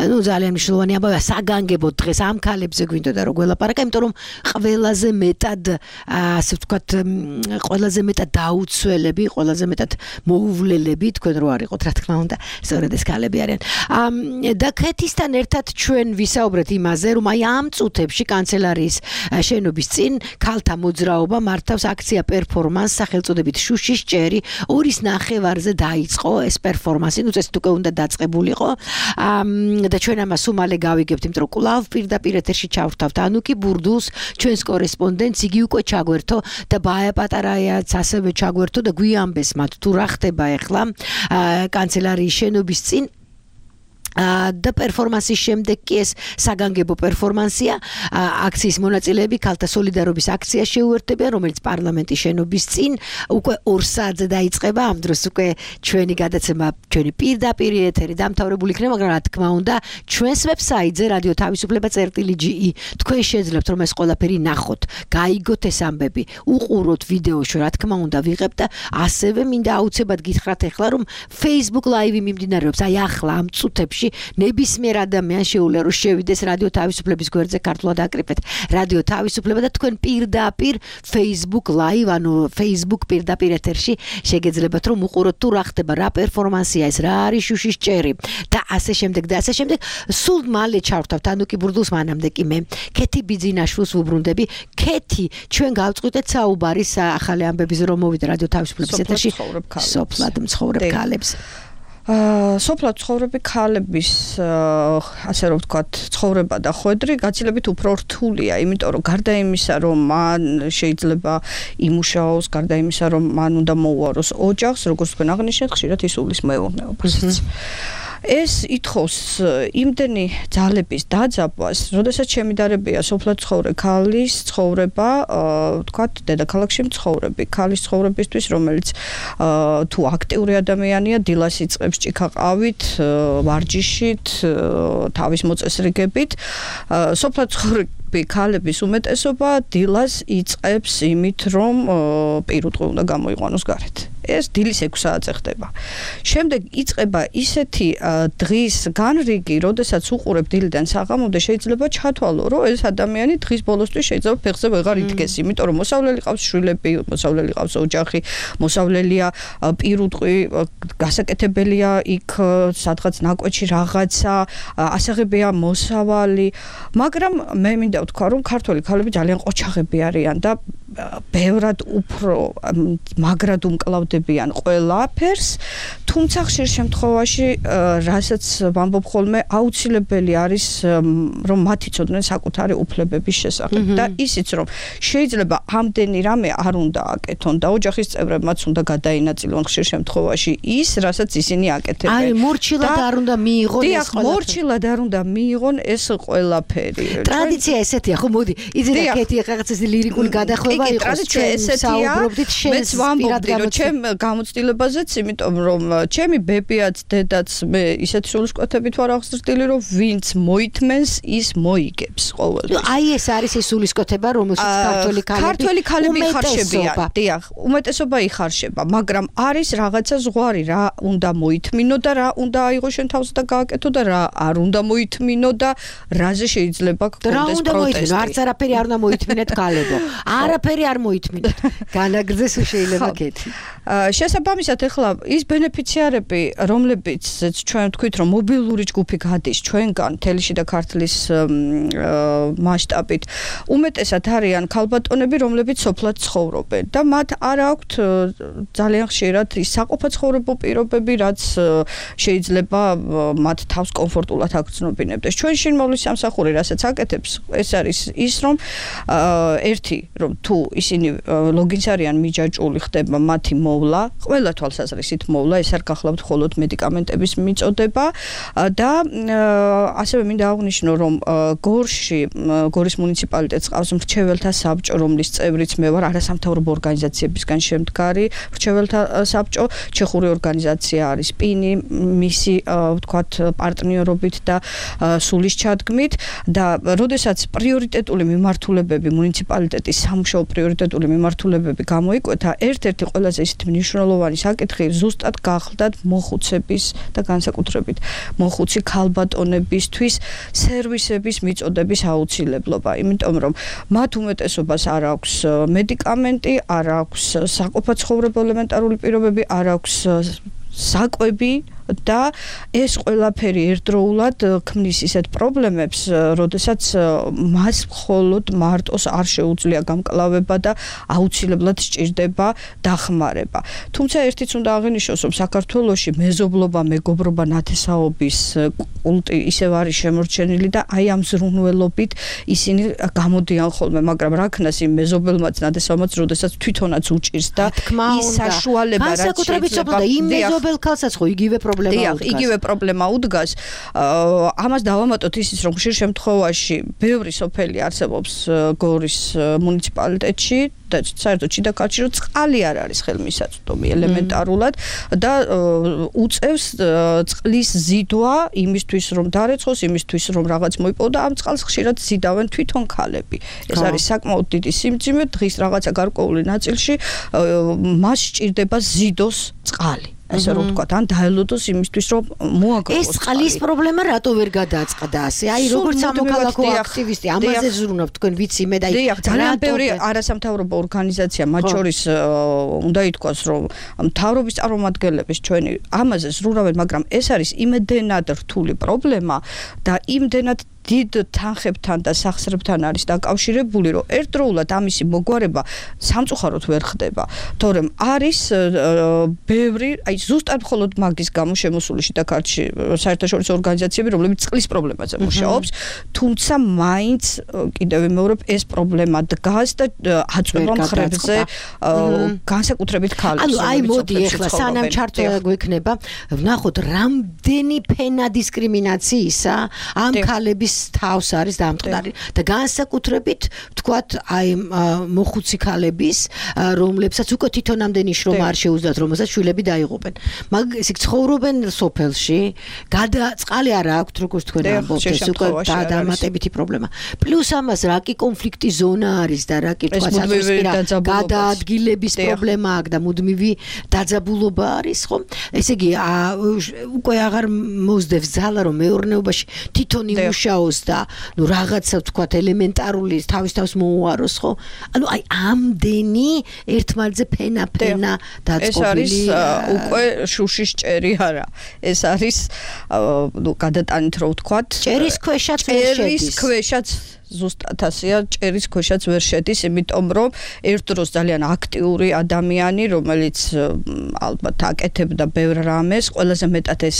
ну ძალიან მნიშვნელოვანი ამბავია საგანგებო დღეს ამ ქალებზე გვინდოდა რომ გველაპარაკა იმიტომ რომ ყველაზე მეტად ასე ვთქვათ ყველაზე მეტად დაუცველები ყველაზე მეტად მოუვლელები თქვენ რო არიყოთ რა თქმა უნდა სწორედ ეს ქალები არიან და კეთისთან ერთად ჩვენ ვისაუბრეთ იმაზე რომ აი ამ წუთებში კანცელარიის შენობის წინ ქალთა მოძრაობა მართავს აქცია პერფორმანს სახელწოდებით შუშის ჭერი ორის ნახევარზე დაიწყო ეს პერფორმანსი ну ეს უკვე უნდა დაწყებულიყო და ჩვენ ამას უმალე გავიგებთ იმიტომ რომ კვლავ პირდაპირ ეთერში ჩავრთავთ ანუკი ბურდულს ჩვენს კორესპონდენტს იგი უკვე ჩაგვერთო და ბაია პატარაიაც ასევე ჩაგვერთო და გვიამბეს მათ თუ რა ხდება ახლა კანცელარიის შენობის წინ და პერფორმანსის შემდეგ კი ეს საგანგებო პერფორმანსია აქციის მონაწილეები ქალთა სოლიდარობის აქცია შეუერთებიან რომელიც პარლამენტის შენობის წინ უკვე two საათზე დაიწყება ამ დროს უკვე ჩვენი გადაცემა ჩვენი პირდაპირ ეთერი დამთავრებული იქნება მაგრამ რა თქმა უნდა ჩვენს ვებსაიტზე რადიო თავისუფლება წერტილი ჯი ი თქვენ შეძლებთ რომ ეს ყველაფერი ნახოთ გაიგოთ ეს ამბები უყუროთ ვიდეოში რა თქმა უნდა ვიღებთ და ასევე მინდა აუცილებლად გითხრათ ახლა რომ Facebook Live მიმდინარეობს აი ახლა ამ წუთებში ნებისმიერ ადამიანს შეუძლია რომ შევიდეს რადიო თავისუფლების გვერდზე ქართულად აკრიფეთ რადიო თავისუფლება და თქვენ პირდაპირ Facebook Live ანუ Facebook პირდაპირ ეთერში შეგეძლებათ რომ უყუროთ თუ რა ხდება რა პერფორმანსია ეს რა არის შუშის ჭერი და ასე შემდეგ და ასე შემდეგ სულ მალე ჩავრთავთ ანუკი ბურდულს მანამდე კი მე კეთი ბიძინაშვილს ვუბრუნდები კეთი ჩვენ გავწყვიტეთ საუბარი ახალი ამბების რომ მოვიდა რადიო თავისუფლების ეთერში სოფლად მცხოვრებ ქალებს სოფლად ცხოვრები ქალების ასე რომ ვთქვათ ცხოვრება და ხვედრი გაცილებით უფრო რთულია იმიტომ რომ გარდა იმისა რომ მან შეიძლება იმუშაოს გარდა იმისა რომ მან უნდა მოუაროს ოჯახს როგორც თქვენ აღნიშნეთ ხშირად ისულის მეურნეობასაც ეს ითხოვს იმდენი ძალების დაძაბვას, როდესაც შემიდარებია სოფლად ცხოვრე ქალის ცხოვრება, ვთქვათ, დედაქალაქში მცხოვრები ქალის ცხოვრებისთვის, რომელიც თუ აქტიური ადამიანია, დილას იწყებს ჭიქაყავით, ვარჯიშით, თავის მოწესრიგებით, სოფლად ცხოვრე ქალების უმეტესობა დილას იწყებს იმით, რომ პირუტყვი უნდა გამოიყვანოს გარეთ. ეს დილის six საათზე ხდება. შემდეგ იწყება ისეთი დღის განრიგი, როდესაც უყურებ დილიდან საღამომდე შეიძლება ჩათვალო, რომ ეს ადამიანი დღის ბოლოსთვის შეიძლება ფეხზე ვეღარ იდგეს, იმიტომ რომ მოსავლელი ყავს შვილები, მოსავლელი ყავს ოჯახი, მოსავლელია პირუტყვი, გასაკეთებელია იქ სადღაც ნაკვეთში რაღაცა, ასაღებია მოსავალი, მაგრამ მე მინდა ვთქვა, რომ ქართველი ქალები ძალიან ყოჩაღები არიან და ბევრად უფრო მაგრად უმკლავდებიან ყველაფერს, თუმცა ხშირ შემთხვევაში რასაც ვამბობ ხოლმე აუცილებელი არის რომ მათი ცოდნენ საკუთარი უფლებების შესახებ და ისიც რომ შეიძლება ამდენი რამე არ უნდა აკეთონ და ოჯახის წევრებმაც უნდა გადაინაწილონ ხშირ შემთხვევაში ის, რასაც ისინი აკეთებენ. აი, მორჩილად არ უნდა მიიღონ ეს ყველაფერი. დიახ, მორჩილად არ უნდა მიიღონ ეს ყველაფერი. ტრადიცია ესეთია, ხო, მოდი, იზედა კეთი რაღაც ეს ლირიკული გადახვევა იყოს. ტრადიცია ესეთია. საუბრობდით შენს პირად ჩემ გამოცდილებაზეც, იმიტომ რომ ჩემი ბებიაც, დედაც მე ისეთ სულისკვეთებით ვარ აღზრდილი, რომ ვინც მოითმენს, ის მოიგებს ყოველთვის. აი ეს არის ეს სულისკვეთება, რომელშიც ქართველი ქალები ქართველი ქალები იხარშებიან. დიახ, უმეტესობა იხარშება, მაგრამ არის რაღაცა ზღვარი, რა უნდა მოითმინო და რა უნდა აიღო შენ თავზე და გააკეთო და რა არ უნდა მოითმინო და რაზე შეიძლება გქონდეს პროტესტი. არც არაფერი არ უნდა მოითმინეთ ქალებო. არაფერი არ მოითმინეთ. განაგრძეს შეიძლება კეთი. შესაბამისად ეხლა ის ბენეფიციარები, რომლებიც ჩვენ ვთქვით, რომ მობილური ჯგუფი გადის ჩვენგან თელში და ქართლის მასშტაბით, უმეტესად არიან ქალბატონები, რომლებიც სოფლად ცხოვრობენ და მათ არ აქვთ ძალიან ხშირად ის საყოფაცხოვრებო პირობები, რაც შეიძლება მათ თავს კომფორტულად აგრძნობინებდეს. ჩვენ შინმოვლის სამსახური რასაც აკეთებს, ეს არის ის, რომ ერთი, რომ თუ ისინი ლოგინს არიან მიჯაჭული, ხდება მათი მოვლა, ყველა თვალსაზრისით მოვლა, ეს არ გახლავთ მხოლოდ მედიკამენტების მიწოდება და ასევე მინდა აღვნიშნო, რომ გორში, გორის მუნიციპალიტეტს ყავს მრჩეველთა საბჭო, რომლის წევრიც მე ვარ, არასამთავრობო ორგანიზაციებისგან შემდგარი მრჩეველთა საბჭო, ჩეხური ორგანიზაცია არის პინი, მისი ვთქვათ პარტნიორობით და სულის ჩადგმით და როდესაც პრიორიტეტული მიმართულებები მუნიციპალიტეტის სამუშაო პრიორიტეტული მიმართულებები გამოიკვეთა, ერთ-ერთი ყველაზე ისეთი მნიშვნელოვანი საკითხი ზუსტად გახლდათ მოხუცების და განსაკუთრებით მოხუცი ქალბატონებისთვის სერვისების მიწოდების აუცილებლობა, იმიტომ რომ მათ უმეტესობას არ აქვს მედიკამენტი, არ აქვს საყოფაცხოვრებო ელემენტარული პირობები, არ აქვს საკვები და ეს ყველაფერი ერთდროულად ქმნის ისეთ პრობლემებს, როდესაც მას მხოლოდ მარტოს არ შეუძლია გამკლავება და აუცილებლად სჭირდება დახმარება. თუმცა ერთიც უნდა აღინიშნოს, რომ საქართველოში მეზობლობა, მეგობრობა, ნათესაობის კულტი ისევ არის შემორჩენილი და აი ამ ზრუნველობით ისინი გამოდიან ხოლმე, მაგრამ რა ქნას იმ მეზობელმაც, ნათესაობმაც, როდესაც თვითონაც უჭირს და ის საშუალება რაც შეიძლება იმ მეზობელ ქალსაც ხო იგივე დიახ, იგივე პრობლემა უდგას. ამას დავამატოთ ისიც, რომ ხშირ შემთხვევაში ბევრი სოფელი არსებობს გორის მუნიციპალიტეტში და საერთოდ შიდა ქართლში, რომ წყალი არ არის ხელმისაწვდომი ელემენტარულად და უწევს წყლის ზიდვა იმისთვის, რომ დარეცხოს, იმისთვის, რომ რაღაც მოიპოვო და ამ წყალს ხშირად ზიდავენ თვითონ ქალები. ეს არის საკმაოდ დიდი სიმძიმე, დღის რაღაცა გარკვეული ნაწილში მას სჭირდება ზიდოს წყალი. ასე რომ ვთქვათ, ან დაელოდოს იმისთვის, რომ მოაგროვოს. ეს წყლის პრობლემა რატო ვერ გადააწყდა ასე? აი, როგორც სამოქალაქო აქტივისტი, ამაზე ზრუნავ თქვენ ვიცი მე და აი, ძალიან ბევრი არასამთავრობო ორგანიზაცია, მათ შორის უნდა ითქვას, რომ მთავრობის წარმომადგენლების ჩვენი ამაზე ზრუნავენ, მაგრამ ეს არის იმდენად რთული პრობლემა და იმდენად დიდ თანხებთან და სახსრებთან არის დაკავშირებული, რომ ერთდროულად ამისი მოგვარება სამწუხაროდ ვერ ხდება. თორემ არის ბევრი, აი ზუსტად მხოლოდ მაგის გამო შემოსული შიდა ქართლში საერთაშორისო ორგანიზაციები, რომლებიც წყლის პრობლემაზე მუშაობს, თუმცა მაინც კიდევ ვიმეორებ, ეს პრობლემა დგას და აწვევა მხრებზე განსაკუთრებით ქალებს. ანუ აი მოდი ეხლა სანამ ჩართვა გვექნება, ვნახოთ რამდენი ფენა დისკრიმინაციისა ამ ქალების თავს არის დამწყდარი და განსაკუთრებით ვთქვათ აი მოხუცი ქალების, რომლებსაც უკვე თვითონ ამდენი შრომა არ შეუძლიათ, რომელსაც შვილები დაიღუპენ. მაგ ისე ცხოვრობენ სოფელში, გადა წყალი არ აქვთ, როგორც თქვენ ამბობთ, ეს უკვე დამატებითი პრობლემა. პლუს ამას რა კი კონფლიქტი ზონა არის და რა კი თქვა საზღვისპირა გადაადგილების პრობლემა აქვს და მუდმივი დაძაბულობა არის, ხო? ესე იგი უკვე აღარ მოსდევს ძალა, რომ მეურნეობაში თვითონ იმუშაოს და ნუ რაღაცა ვთქვათ ელემენტარული თავის თავს მოუაროს, ხო? ანუ აი ამდენი ერთმანეთზე ფენა-ფენა დაწყობილი. ეს არის უკვე შუშის ჭერი არა. ეს არის ნუ გადატანით რო ვთქვათ. ჭერის ქვეშაც ვერ შედის. ჭერის ქვეშაც ზუსტად ასეა, ჭერის ქვეშაც ვერ შედის, იმიტომ რომ ერთ დროს ძალიან აქტიური ადამიანი, რომელიც ალბათ აკეთებდა ბევრ რამეს, ყველაზე მეტად ეს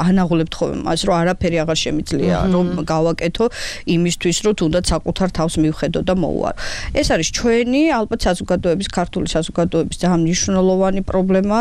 ანაღულებთ ხოლმე მას, რომ არაფერი აღარ შემიძლია რომ გავაკეთო იმისთვის, რომ თუნდაც საკუთარ თავს მივხედო და მოვუარო. ეს არის ჩვენი ალბათ საზოგადოების, ქართული საზოგადოების ძალიან მნიშვნელოვანი პრობლემა,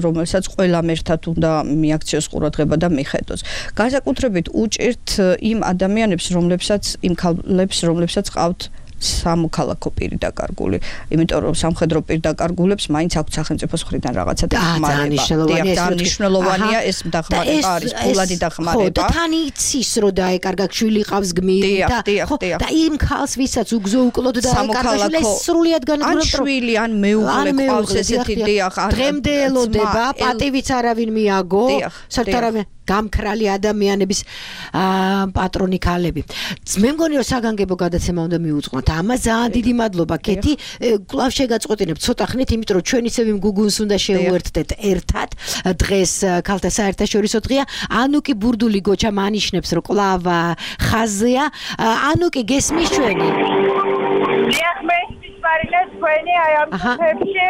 რომელსაც ყველამ ერთად უნდა მიაქციოს ყურადღება და მიხედოს. განსაკუთრებით უჭირთ იმ ადამიანებს, რომლებსაც იმ ქალებს, რომლებსაც ყავთ სამოქალაქო პირი დაკარგული, იმიტომ რომ სამხედრო პირ დაკარგულებს მაინც აქვთ სახელმწიფოს მხრიდან რაღაცა დახმარება. ძალიან მნიშვნელოვანია ეს დახმარება არის, ფულადი დახმარება. ხო, და თან იცის რომ დაეკარგა შვილი ყავს გმირი და ხო, და იმ ქალს ვისაც უგზო უკლოდ დაეკარგა შვილი სრულიად განადგურდა. ან შვილი, ან მეუღლე ყავს ესეთი დიახ, დღემდეელოდება, პატივიც არავინ მიაგო, საერთოდ არავინ გამქრალი ადამიანების პატრონი ქალები. მე მგონი რომ საგანგებო გადაცემა უნდა მიუძღვნოთ. ამას ძალიან დიდი მადლობა კეთი. კვლავ შეგაწყვეტინებ ცოტა ხნით, იმიტომ რომ ჩვენ ისევ იმ გუგუნს უნდა შევუერთდეთ ერთად. დღეს ქალთა საერთაშორისო დღეა. ანუკი ბურდული გოჩა მანიშნებს რომ კვლავ ხაზია. ანუკი გესმის ჩვენი? მარინეს თქვენი აი ამ ხებში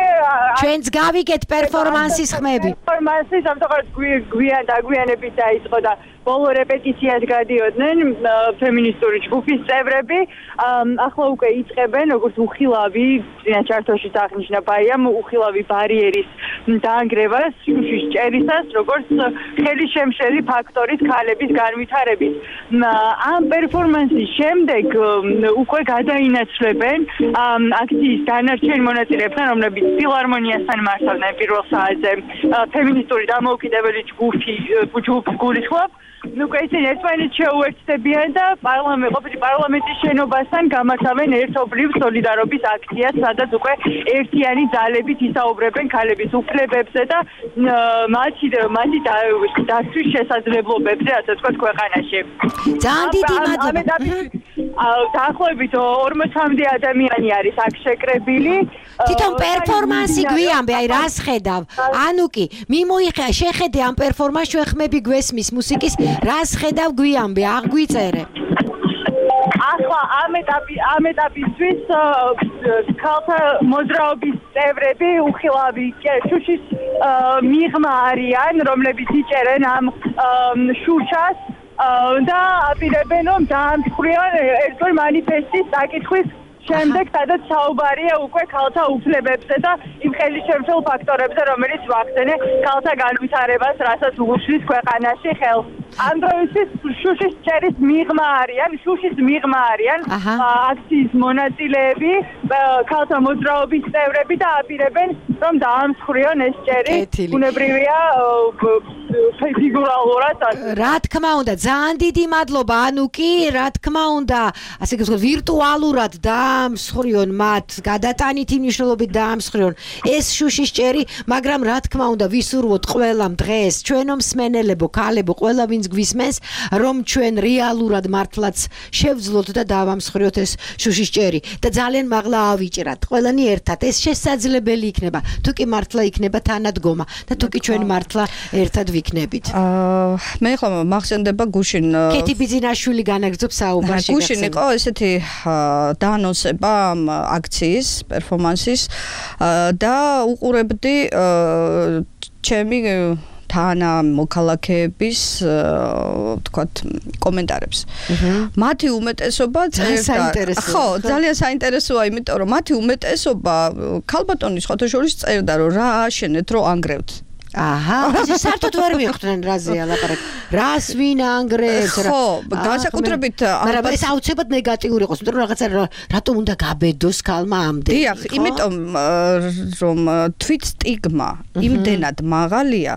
ჩვენც გავიგეთ პერფორმანსის ხმები. პერფორმანსი სამწუხაროდ გვიან დაგვიანებით დაიწყო და ბოლო რეპეტიციას გადიოდნენ ფემინისტური ჯგუფის წევრები. ახლა უკვე იწყებენ როგორც უხილავი, ჩარტოში აღნიშნა ბაიამ, უხილავი ბარიერის დაანგრევას შუშის ჭერისას, როგორც ხელისშემშელი ფაქტორის ქალების განვითარებით. ამ პერფორმანსის შემდეგ უკვე გადაინაცვლებენ აქციის დანარჩენ მონაწილეებთან, რომლებიც ფილარმონიასთან მართავდნენ პირველ საათზე ფემინისტური დამოუკიდებელი ჯგუფი ჯგუფს გულისხმობ. ნუ ისინი ერთმანეთს შეუერთდებიან და პარლამენტის პარლამენტის შენობასთან გამართავენ ერთობლივ სოლიდარობის აქციას, სადაც უკვე ერთიანი ძალებით ისაუბრებენ ქალების უფლებებზე და მათი მათი დაცვის შესაძლებლობებზე, ასე ვთქვათ, ქვეყანაში. ძალიან დიდი მადლობა. დაახლოებით ორმოცამდე ადამიანი არის აქ შეკრებილი. თვითონ პერფორმანსი გვიამბე, აი რას ხედავ? ანუკი, მიმოიხე, შეხედე ამ პერფორმანსს, ჩვენ ხმები გვესმის მუსიკის, რას ხედავ გვიამბე, აღვიწერე. ახლა ამ ეტაპი ამ ეტაპისთვის ქალთა მოძრაობის წევრები უხილავი შუშის მიღმა არიან, რომლებიც იჭერენ ამ შუშას და აპირებენ რომ დაამსხვრიან ერთგვარ მანიფესტის დაკითხვის შემდეგ, სადაც საუბარია უკვე ქალთა უფლებებზე და იმ ხელისშემშელ ფაქტორებზე, რომელიც ვახდენენ ქალთა განვითარებას, რასაც უგუშლის ქვეყანაში ხელს. ამ დროისთვის შუშის ჭერის მიღმა არიან, შუშის მიღმა არიან აქციის მონაწილეები, ქალთა მოძრაობის წევრები და აპირებენ რომ დაამსხვრიონ ეს ჭერი. ბუნებრივია ფიგურალურად. რა თქმა უნდა, ძალიან დიდი მადლობა ანუკი, რა თქმა უნდა, ასე ვთქვათ, ვირტუალურად დაამსხვრიონ მათ, გადატანით იმ მნიშვნელობით დაამსხვრიონ ეს შუშის ჭერი, მაგრამ რა თქმა უნდა, ვისურვოთ ყველამ დღეს, ჩვენო მსმენელებო, ქალებო, ყველა ვინც გვისმენს, რომ ჩვენ რეალურად მართლაც შევძლოთ და დავამსხვრიოთ ეს შუშის ჭერი და ძალიან მაღლა ავიჭრათ. ყველანი ერთად ეს შესაძლებელი იქნება. თუ კი მართლა იქნება თანადგომა და თუ კი ჩვენ მართლა ერთად ვიქნებით. აა მე ხო მახსენდება გუშინ კეთი ბიძინაშვილი განაგრძობს საუბარში. გუშინ იყო ესეთი დაანონსება ამ აქციის, პერფორმანსის და უყურებდი ჩემი თანა მოქალაქეების ვთქვათ კომენტარებს. მათი უმეტესობა წერდა. ხო, ძალიან საინტერესოა, იმიტომ რომ მათი უმეტესობა ქალბატონის ხოთოშორის წერდა, რომ რა აშენეთ, რომ ანგრევთ. აჰა, ეს საერთოდ ვერ მიხვდნენ რაზეა ლაპარაკი. რას ვინ ანგრევს რა? ხო, განსაკუთრებით მაგრამ ეს აუცილებლად ნეგატიური იყოს, იმიტომ რომ რაღაცა რატომ უნდა გაბედოს ქალმა ამდენი? დიახ, იმიტომ რომ თვით სტიგმა იმდენად მაღალია,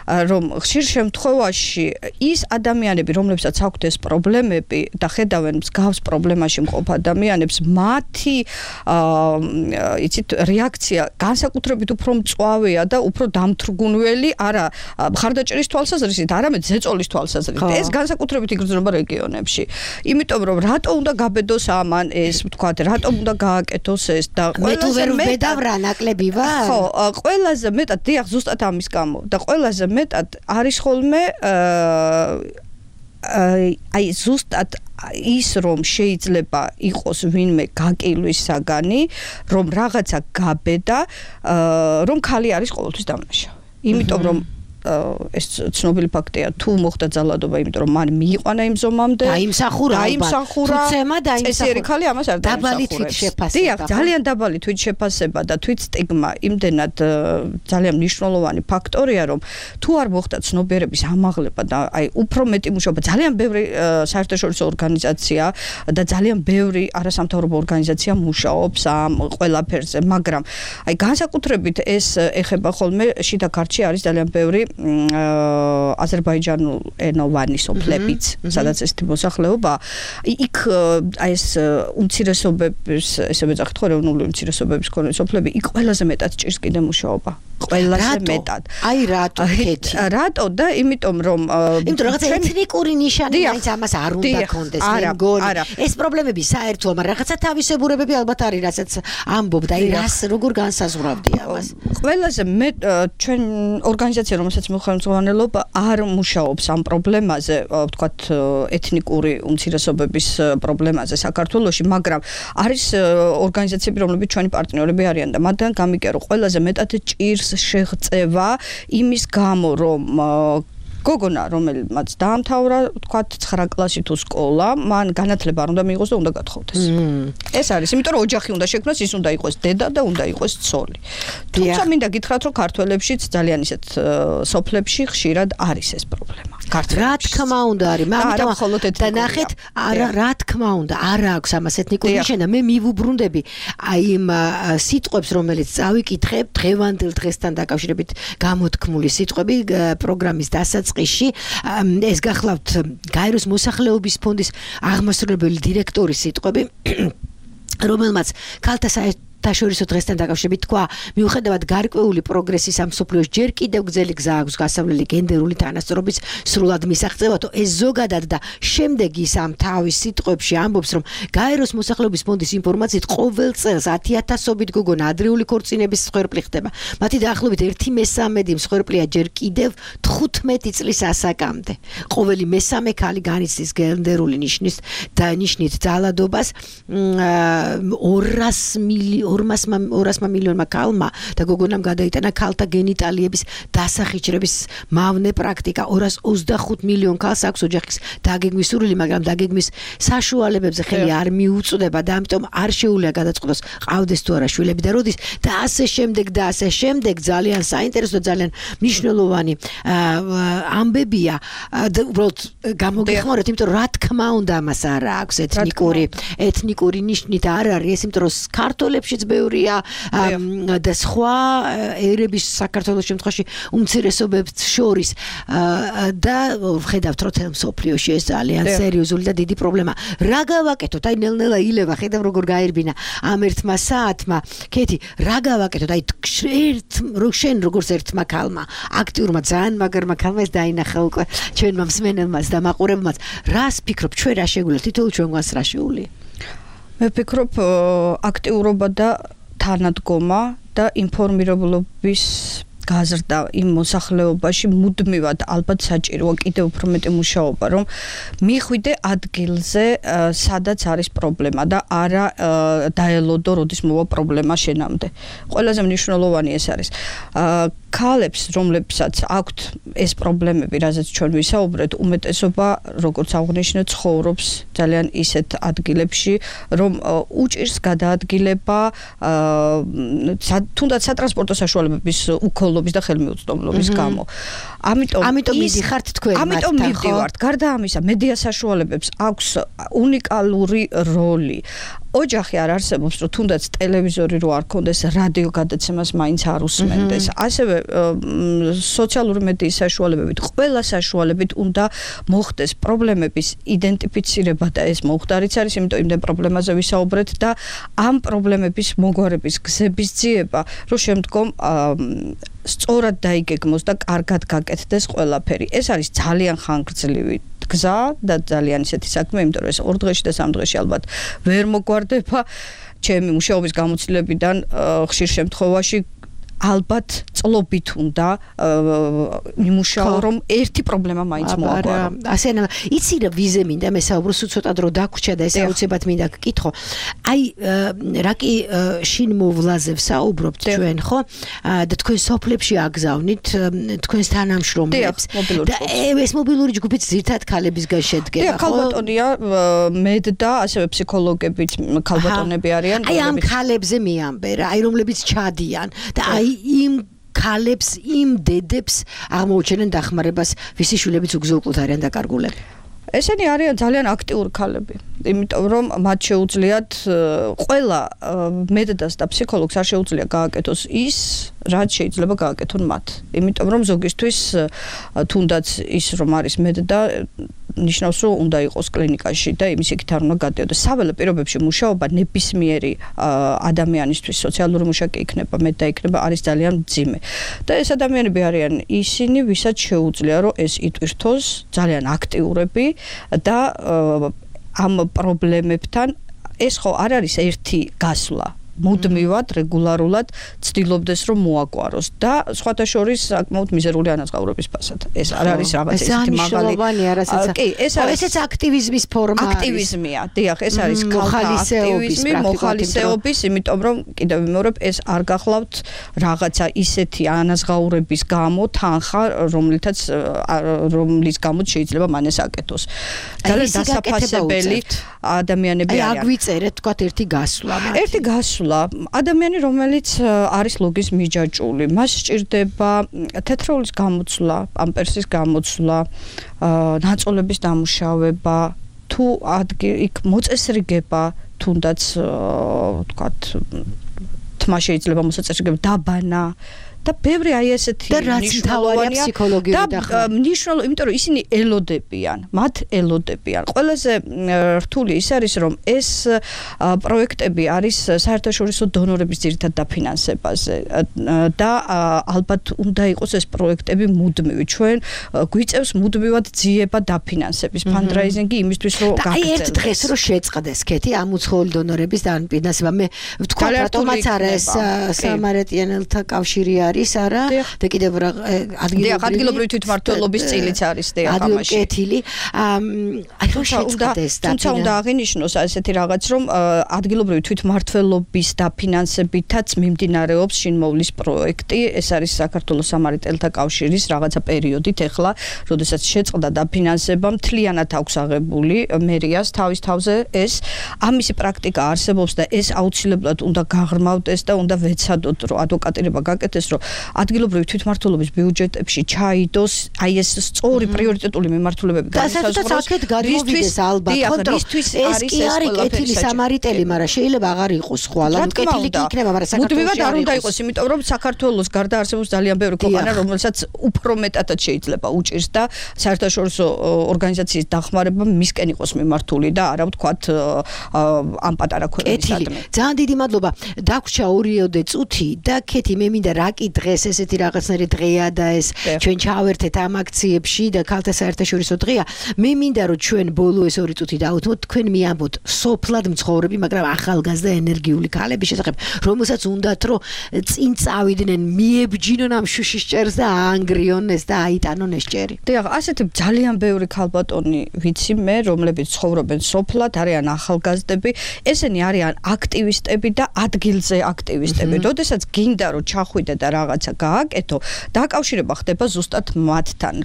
რომ ხშირ შემთხვევაში ის ადამიანები, რომლებსაც აქვთ ეს პრობლემები და ხედავენ მსგავს პრობლემაში მყოფ ადამიანებს, მათი იცით რეაქცია განსაკუთრებით უფრო მწვავეა და უფრო დამთრგუნველი, არა მხარდაჭერის თვალსაზრისით, არამედ ზეწოლის თვალსაზრისით. ეს განსაკუთრებით იგრძნობა რეგიონებში. იმიტომ რომ რატო უნდა გაბედოს ამან ეს, ვთქვათ, რატომ უნდა გააკეთოს ეს და ყველაზე მეტად რა ნაკლები ვარ? ხო, ყველაზე მეტად დიახ, ზუსტად ამის გამო და ყველაზე მეტად არის ხოლმე აი ზუსტად ის რომ შეიძლება იყოს ვინმე გაკილვის საგანი, რომ რაღაცა გაბედა, რომ ქალი არის ყოველთვის დამნაშავე. იმიტომ რომ ეს ცნობილი ფაქტია, თუ მოხდა ძალადობა, იმიტომ რომ მან მიიყვანა იმ ზომამდე, დაიმსახურა, დაიმსახურა, თუცემა დაიმსახურა. წესიერი ქალი ამას არ დაიმსახურებს. დაბალი თვითშეფასება. დიახ, ძალიან დაბალი თვითშეფასება და თვითსტიგმა იმდენად ძალიან მნიშვნელოვანი ფაქტორია, რომ თუ არ მოხდა ცნობიერების ამაღლება და აი უფრო მეტი მუშაობა, ძალიან ბევრი საერთაშორისო ორგანიზაცია და ძალიან ბევრი არასამთავრობო ორგანიზაცია მუშაობს ამ ყველაფერზე, მაგრამ აი განსაკუთრებით ეს ეხება ხოლმე შიდა ქართლში არის ძალიან ბევრი აზერბაიჯანულ ენოვანი სოფლებიც, სადაც ესეთი მოსახლეობა, იქ აი ეს უმცირესობების, ესე ვეძახით ხო, ეროვნული უმცირესობების მქონე სოფლები, იქ ყველაზე მეტად ჭირს კიდე მუშაობა. ყველაზე მეტად. აი რატო კეთი? რატო და იმიტომ რომ იმიტომ რაღაც ეთნიკური ნიშანი მაინც ამას არ უნდა კონდეს, მე მგონი. ეს პრობლემები საერთოა, მაგრამ რაღაცა თავისებურებები ალბათ არის, რასაც ამბობთ, აი რას როგორ განსაზღვრავდი ამას? ყველაზე მე ჩვენ ორგანიზაცია, რომელსაც მეხმარება, არ მუშაობს ამ პრობლემაზე, ვთქვათ, ეთნიკური უმცირესობების პრობლემაზე საქართველოში, მაგრამ არის ორგანიზაციები, რომლებიც ჩვენი პარტნიორები არიან და მათგან გამიგია, რომ ყველაზე მეტად ჭირს შეღწევა იმის გამო, რომ გოგონა, რომელმაც დაამთავრა, ვთქვათ, ცხრა კლასი თუ სკოლა, მან განათლება არ უნდა მიიღოს და უნდა გათხოვდეს. ეს არის, იმიტომ რომ ოჯახი უნდა შექმნას, ის უნდა იყოს დედა და უნდა იყოს ცოლი. თუმცა მინდა გითხრათ, რომ ქართველებშიც ძალიან ისეთ სოფლებში ხშირად არის ეს პრობლემა. რა თქმა უნდა არის, მაგრამ და ნახეთ, არა, რა თქმა უნდა, არ აქვს ამას ეთნიკური ნიშანი. მე მივუბრუნდები აი იმ სიტყვებს, რომელიც წავიკითხებ დღევანდელ დღესთან დაკავშირებით გამოთქმული სიტყვები პროგრამის დასაწყისში. ეს გახლავთ გაეროს მოსახლეობის ფონდის აღმასრულებელი დირექტორის სიტყვები, რომელმაც ქალთა საერთაშორისო დღესთან დაკავშირებით თქვა, მიუხედავად გარკვეული პროგრესის ამ მსოფლიოს ჯერ კიდევ გრძელი გზა აქვს გასავლელი გენდერული თანასწორობის სრულად მისაღწევათო. ეს ზოგადად და შემდეგ ის ამ თავის სიტყვებში ამბობს, რომ გაეროს მოსახლეობის ფონდის ინფორმაციით ყოველ წელს ათი ათასობით გოგონა ადრეული ქორწინების მსხვერპლი ხდება. მათი დაახლოებით ერთი მესამედი მსხვერპლია ჯერ კიდევ თხუთმეტი წლის ასაკამდე. ყოველი მესამე ქალი განიცდის გენდერული ნიშნის და ნიშნით ძალადობას ორას ორასმა მილიონმა ქალმა და გოგონამ გადაიტანა ქალთა გენიტალიების დასახიჩრების მავნე პრაქტიკა. ორას ოცდახუთ მილიონ ქალს აქვს ოჯახის დაგეგმვის სურვილი, მაგრამ დაგეგმვის საშუალებებზე ხელი არ მიუწვდება და ამიტომ არ შეუძლია გადაწყვეტოს, ყავდეს თუ არა შვილები და როდის და ასე შემდეგ და ასე შემდეგ. ძალიან საინტერესო და ძალიან მნიშვნელოვანი ამბებია. უბრალოდ გამოგეხმაროთ, იმიტომ რომ რა თქმა უნდა ამას არ აქვს ეთნიკური ეთნიკური ნიშნით არ არის ეს, იმიტომ რომ ქართველებშიც ბევრია და სხვა ერების საქართველოს შემთხვევაში უმცირესობებს შორის და ხედავთ, რომ თელ მსოფლიოში ეს ძალიან სერიოზული და დიდი პრობლემა. რა გავაკეთოთ? აი ნელ-ნელა ილევა, ხედავ როგორ გაერბინა ამ ერთმა საათმა. კეთი, რა გავაკეთოთ? აი ერთ შენ როგორც ერთმა ქალმა, აქტიურმა, ძალიან მაგარმა ქალმა ეს დაინახა უკვე ჩვენმა მსმენელმაც და მაყურებელმაც. რას ფიქრობ, ჩვენ რა შეგვიძლია? თითოეულ ჩვენგვარს რა შეუძლია? მე ვფიქრობ, აქტიურობა და თანადგომა და ინფორმირებულობის გაზრდა იმ მოსახლეობაში მუდმივად ალბათ საჭიროა კიდევ უფრო მეტი მუშაობა, რომ მიხვიდე ადგილზე, სადაც არის პრობლემა და არა დაელოდო, როდის მოვა პრობლემა შენამდე. ყველაზე მნიშვნელოვანი ეს არის. ქალებს, რომლებსაც აქვთ ეს პრობლემები, რაზეც ჩვენ ვისაუბრეთ, უმეტესობა, როგორც აღნიშნე, ცხოვრობს ძალიან ისეთ ადგილებში, რომ უჭირს გადაადგილება, თუნდაც სატრანსპორტო საშუალებების უკოლობის და ხელმიუწვდომლობის გამო. ამიტომ ამიტომ მიდიხართ თქვენ მათთან, ამიტომ მივდივართ. გარდა ამისა, მედია საშუალებებს აქვს უნიკალური როლი. ოჯახი არ არსებობს, რომ თუნდაც ტელევიზორი რო არ ქონდეს, რადიო გადაცემას მაინც არ უსმენდეს. ასევე სოციალური მედიის საშუალებებით, ყველა საშუალებით უნდა მოხდეს პრობლემების იდენტიფიცირება და ეს მოხდარიც არის, იმიტომ იმდენ პრობლემაზე ვისაუბრეთ და ამ პრობლემების მოგვარების გზების ძიება, რომ შემდგომ სწორად დაიგეგმოს და კარგად გაკეთდეს ყველაფერი. ეს არის ძალიან ხანგრძლივი გზა და ძალიან ისეთი საქმე, იმიტომ რომ ეს ორ დღეში და სამ დღეში ალბათ ვერ მოგვარდება. ჩემი მუშაობის გამოცდილებიდან ხშირ შემთხვევაში ალბათ წლობით უნდა იმუშაო რომ ერთი პრობლემა მაინც მოაგვარო. ასე ნა იცი რა ვიზე მინდა მე საუბრო სულ ცოტა დრო დაგვრჩა და ეს აუცილებლად მინდა გკითხო. აი რა კი შინ მოვლაზე ვსაუბრობთ ჩვენ ხო? და თქვენ სოფლებში აგზავნით თქვენს თანამშრომლებს და ეს მობილური ჯგუფიც ზირთად ქალებისგან შედგება ხო? ქალბატონია მედ და ასევე ფსიქოლოგებიც ქალბატონები არიან. აი ამ ქალებზე მიამბე რა, აი რომლებიც ჩადიან და აი იმ ქალებს, იმ დედებს აღმოუჩენენ დახმარებას, ვისი შვილებიც უგზო-უკვლოდ არიან დაკარგულები. ესენი არიან ძალიან აქტიური ქალები, იმიტომ რომ მათ შეუძლიათ ყველა მედდას და ფსიქოლოგს არ შეუძლია გააკეთოს ის, რაც შეიძლება გააკეთონ მათ. იმიტომ რომ ზოგისთვის თუნდაც ის რომ არის მედდა ნიშნავს რომ უნდა იყოს კლინიკაში და იმის იქით არ უნდა გადაიოდოს. საველე პირობებში მუშაობა ნებისმიერი ადამიანისთვის სოციალური მუშაკი იქნება, მედდა იქნება, არის ძალიან მძიმე. და ეს ადამიანები არიან ისინი, ვისაც შეუძლია რომ ეს იტვირთოს, ძალიან აქტიურები და ამ პრობლემებთან ეს ხო არ არის ერთი გასვლა. მუდმივად, რეგულარულად ცდილობდეს რომ მოაგვაროს და სხვათა შორის საკმაოდ მიზერული ანაზღაურების ფასად. ეს არ არის რაღაც ისეთი მაღალი. კი, ეს არის ესეც აქტივიზმის ფორმა არის. აქტივიზმია. დიახ, ეს არის ხალხააქტივიზმი, მოხალისეობის, იმიტომ რომ კიდევ ვიმეორებ, ეს არ გახლავთ რაღაცა ისეთი ანაზღაურების გამო თანხა, რომლითაც რომლის გამოც შეიძლება მან ეს აკეთოს. ძალიან დასაფასებელი ადამიანები არიან. აი, აგვიწერეთ თქვა ერთი გასვლა. ერთი გასვლა ადამიანი რომელიც არის ლოგის მიჯაჭული მას სჭირდება თეთრეულის გამოცვლა, პამპერსის გამოცვლა, ნაწოლების დამუშავება, თუ იქ მოწესრიგება, თუნდაც ვთქვათ თმა შეიძლება მოსაწესრიგება, დაბანა და ბევრი აი ესეთი მნიშვნელოვანია ფსიქოლოგიური და მნიშვნელოვანი, იმიტომ რომ ისინი ელოდებიან, მათ ელოდებიან. ყველაზე რთული ის არის, რომ ეს პროექტები არის საერთაშორისო დონორების ძირითად დაფინანსებაზე და ალბათ უნდა იყოს ეს პროექტები მუდმივი. ჩვენ გვიწევს მუდმივად ძიება დაფინანსების ფანდრაიზინგი იმისთვის, რომ გაგრძელდეს. აი ერთ დღეს რომ შეწყდეს კეთი ამ უცხოელი დონორების დაფინანსება, მე ვთქვა რატომაც არა ეს სამარეთიანელთა კავშირი არის არა და კიდევ რა ადგილობრივი თვითმმართველობის წილიც არის დიახ ამაში. კეთილი. აი რომ შეწყდეს და თუმცა უნდა აღინიშნოს ასეთი რაღაც რომ ადგილობრივი თვითმმართველობის დაფინანსებითაც მიმდინარეობს შინმოვლის პროექტი. ეს არის საქართველოს სამარეთელთა კავშირის რაღაცა პერიოდით ეხლა, როდესაც შეწყდა დაფინანსება, მთლიანად აქვს აღებული მერიას თავის თავზე ეს ამისი პრაქტიკა არსებობს და ეს აუცილებლად უნდა გაღრმავდეს და უნდა ვეცადოთ რომ ადვოკატირება გაკეთდეს რომ ადგილობრივი თვითმმართველობის ბიუჯეტებში ჩაიდოს აი ეს სწორი პრიორიტეტული მიმართულებები განსაზღვროს. აქეთ გადმოვიდეს ალბათ, ხო, ეს კი არის კეთილი სამარიტელი, მაგრამ შეიძლება აღარ იყოს ხვალ, ანუ კეთილი კი იქნება, მაგრამ საქართველოს არ უნდა იყოს, იმიტომ რომ საქართველოს გარდა არსებობს ძალიან ბევრი ქვეყანა, რომელსაც უფრო მეტადაც შეიძლება უჭირს და საერთაშორისო ორგანიზაციის დახმარება მისკენ იყოს მიმართული და არა ვთქვათ ამ პატარა ქვეყნისადმი. ძალიან დიდი მადლობა. დაგვრჩა ორიოდე წუთი და კეთი მე მინდა რა კი დღეს ესეთი რაღაცნაირი დღეა და ეს ჩვენ ჩავერთეთ ამ აქციებში და ქალთა საერთაშორისო დღეა. მე მინდა რომ ჩვენ ბოლო ეს ორი წუთი დავუთმოთ, თქვენ მიამბოთ სოფლად მცხოვრები, მაგრამ ახალგაზრდა ენერგიული ქალების შესახებ, რომელსაც უნდათ რომ წინ წავიდნენ, მიებჯინონ ამ შუშის ჭერს და აანგრიონ ეს და აიტანონ ეს ჭერი. დიახ, ასეთი ძალიან ბევრი ქალბატონი ვიცი მე, რომლებიც ცხოვრობენ სოფლად, არიან ახალგაზრდები, ესენი არიან აქტივისტები და ადგილზე აქტივისტები. როდესაც გინდა რომ ჩახვიდე და რაღაცა გააკეთო, დაკავშირება ხდება ზუსტად მათთან.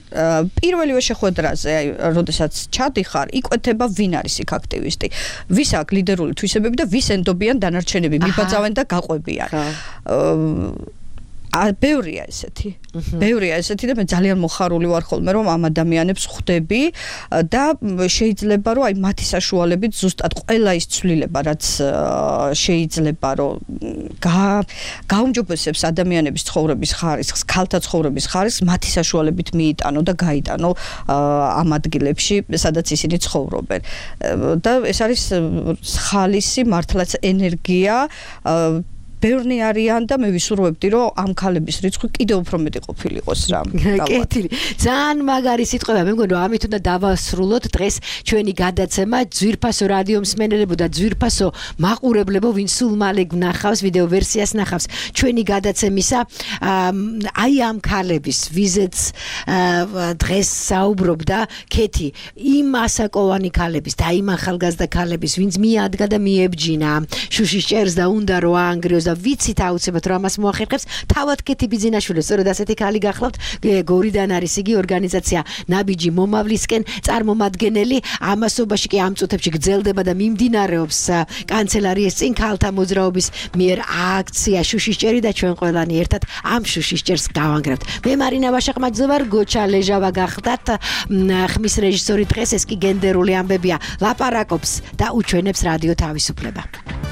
პირველივე შეხვედრაზე, აი, როდესაც ჩადიხარ, იკვეთება ვინ არის იქ აქტივისტი, ვის აქვს ლიდერული თვისებები და ვის ენდობიან დანარჩენები, მიბაძავენ და გაყვებიან. ბევრია ესეთი. ბევრია ესეთი და მე ძალიან მოხარული ვარ ხოლმე რომ ამ ადამიანებს ხვდები და შეიძლება რომ აი მათი საშუალებით ზუსტად ყველა ის ცვლილება რაც შეიძლება რომ გაუმჯობესებს ადამიანების ცხოვრების ხარისხს, ქალთა ცხოვრების ხარისხს მათი საშუალებით მიიტანო და გაიტანო ამ ადგილებში, სადაც ისინი ცხოვრობენ. და ეს არის ხალისი მართლაც ენერგია ბევრნი არიან და მე ვისურვებდი რომ ამ ქალების რიცხვი კიდევ უფრო მეტი ყოფილიყოს რა. კეთილი. ძალიან მაგარი სიტყვაა. მე მგონი რომ ამით უნდა დავასრულოთ დღეს ჩვენი გადაცემა. ძვირფასო რადიო მსმენელებო და ძვირფასო მაყურებლებო, ვინ სულ მალე გნახავს ვიდეო ვერსიას ნახავს ჩვენი გადაცემისა აი ამ ქალების ვიზეც დღეს საუბრობდა კეთი იმ ასაკოვანი ქალების და იმ ახალგაზრდა ქალების ვინც მიადგა და მიებჯინა შუშის ჭერს და უნდა რომ აანგრიოს და ვიცით აუცილებლად რომ ამას მოახერხებს თავად კეთი ბიძინაშვილი სწორედ ასეთი ქალი გახლავთ გორიდან არის იგი ორგანიზაცია ნაბიჯი მომავლისკენ წარმომადგენელი ამასობაში კი ამ წუთებში გრძელდება და მიმდინარეობს კანცელარიის წინ ქალთა მოძრაობის მიერ აქცია შუშის ჭერი და ჩვენ ყველანი ერთად ამ შუშის ჭერს გავანგრევთ. მე მარინა ვაშაყმაძე ვარ, გოჩა ლეჟავა გახდათ ხმის რეჟისორი დღეს ეს კი გენდერული ამბებია ლაპარაკობს და უჩვენებს რადიო თავისუფლება.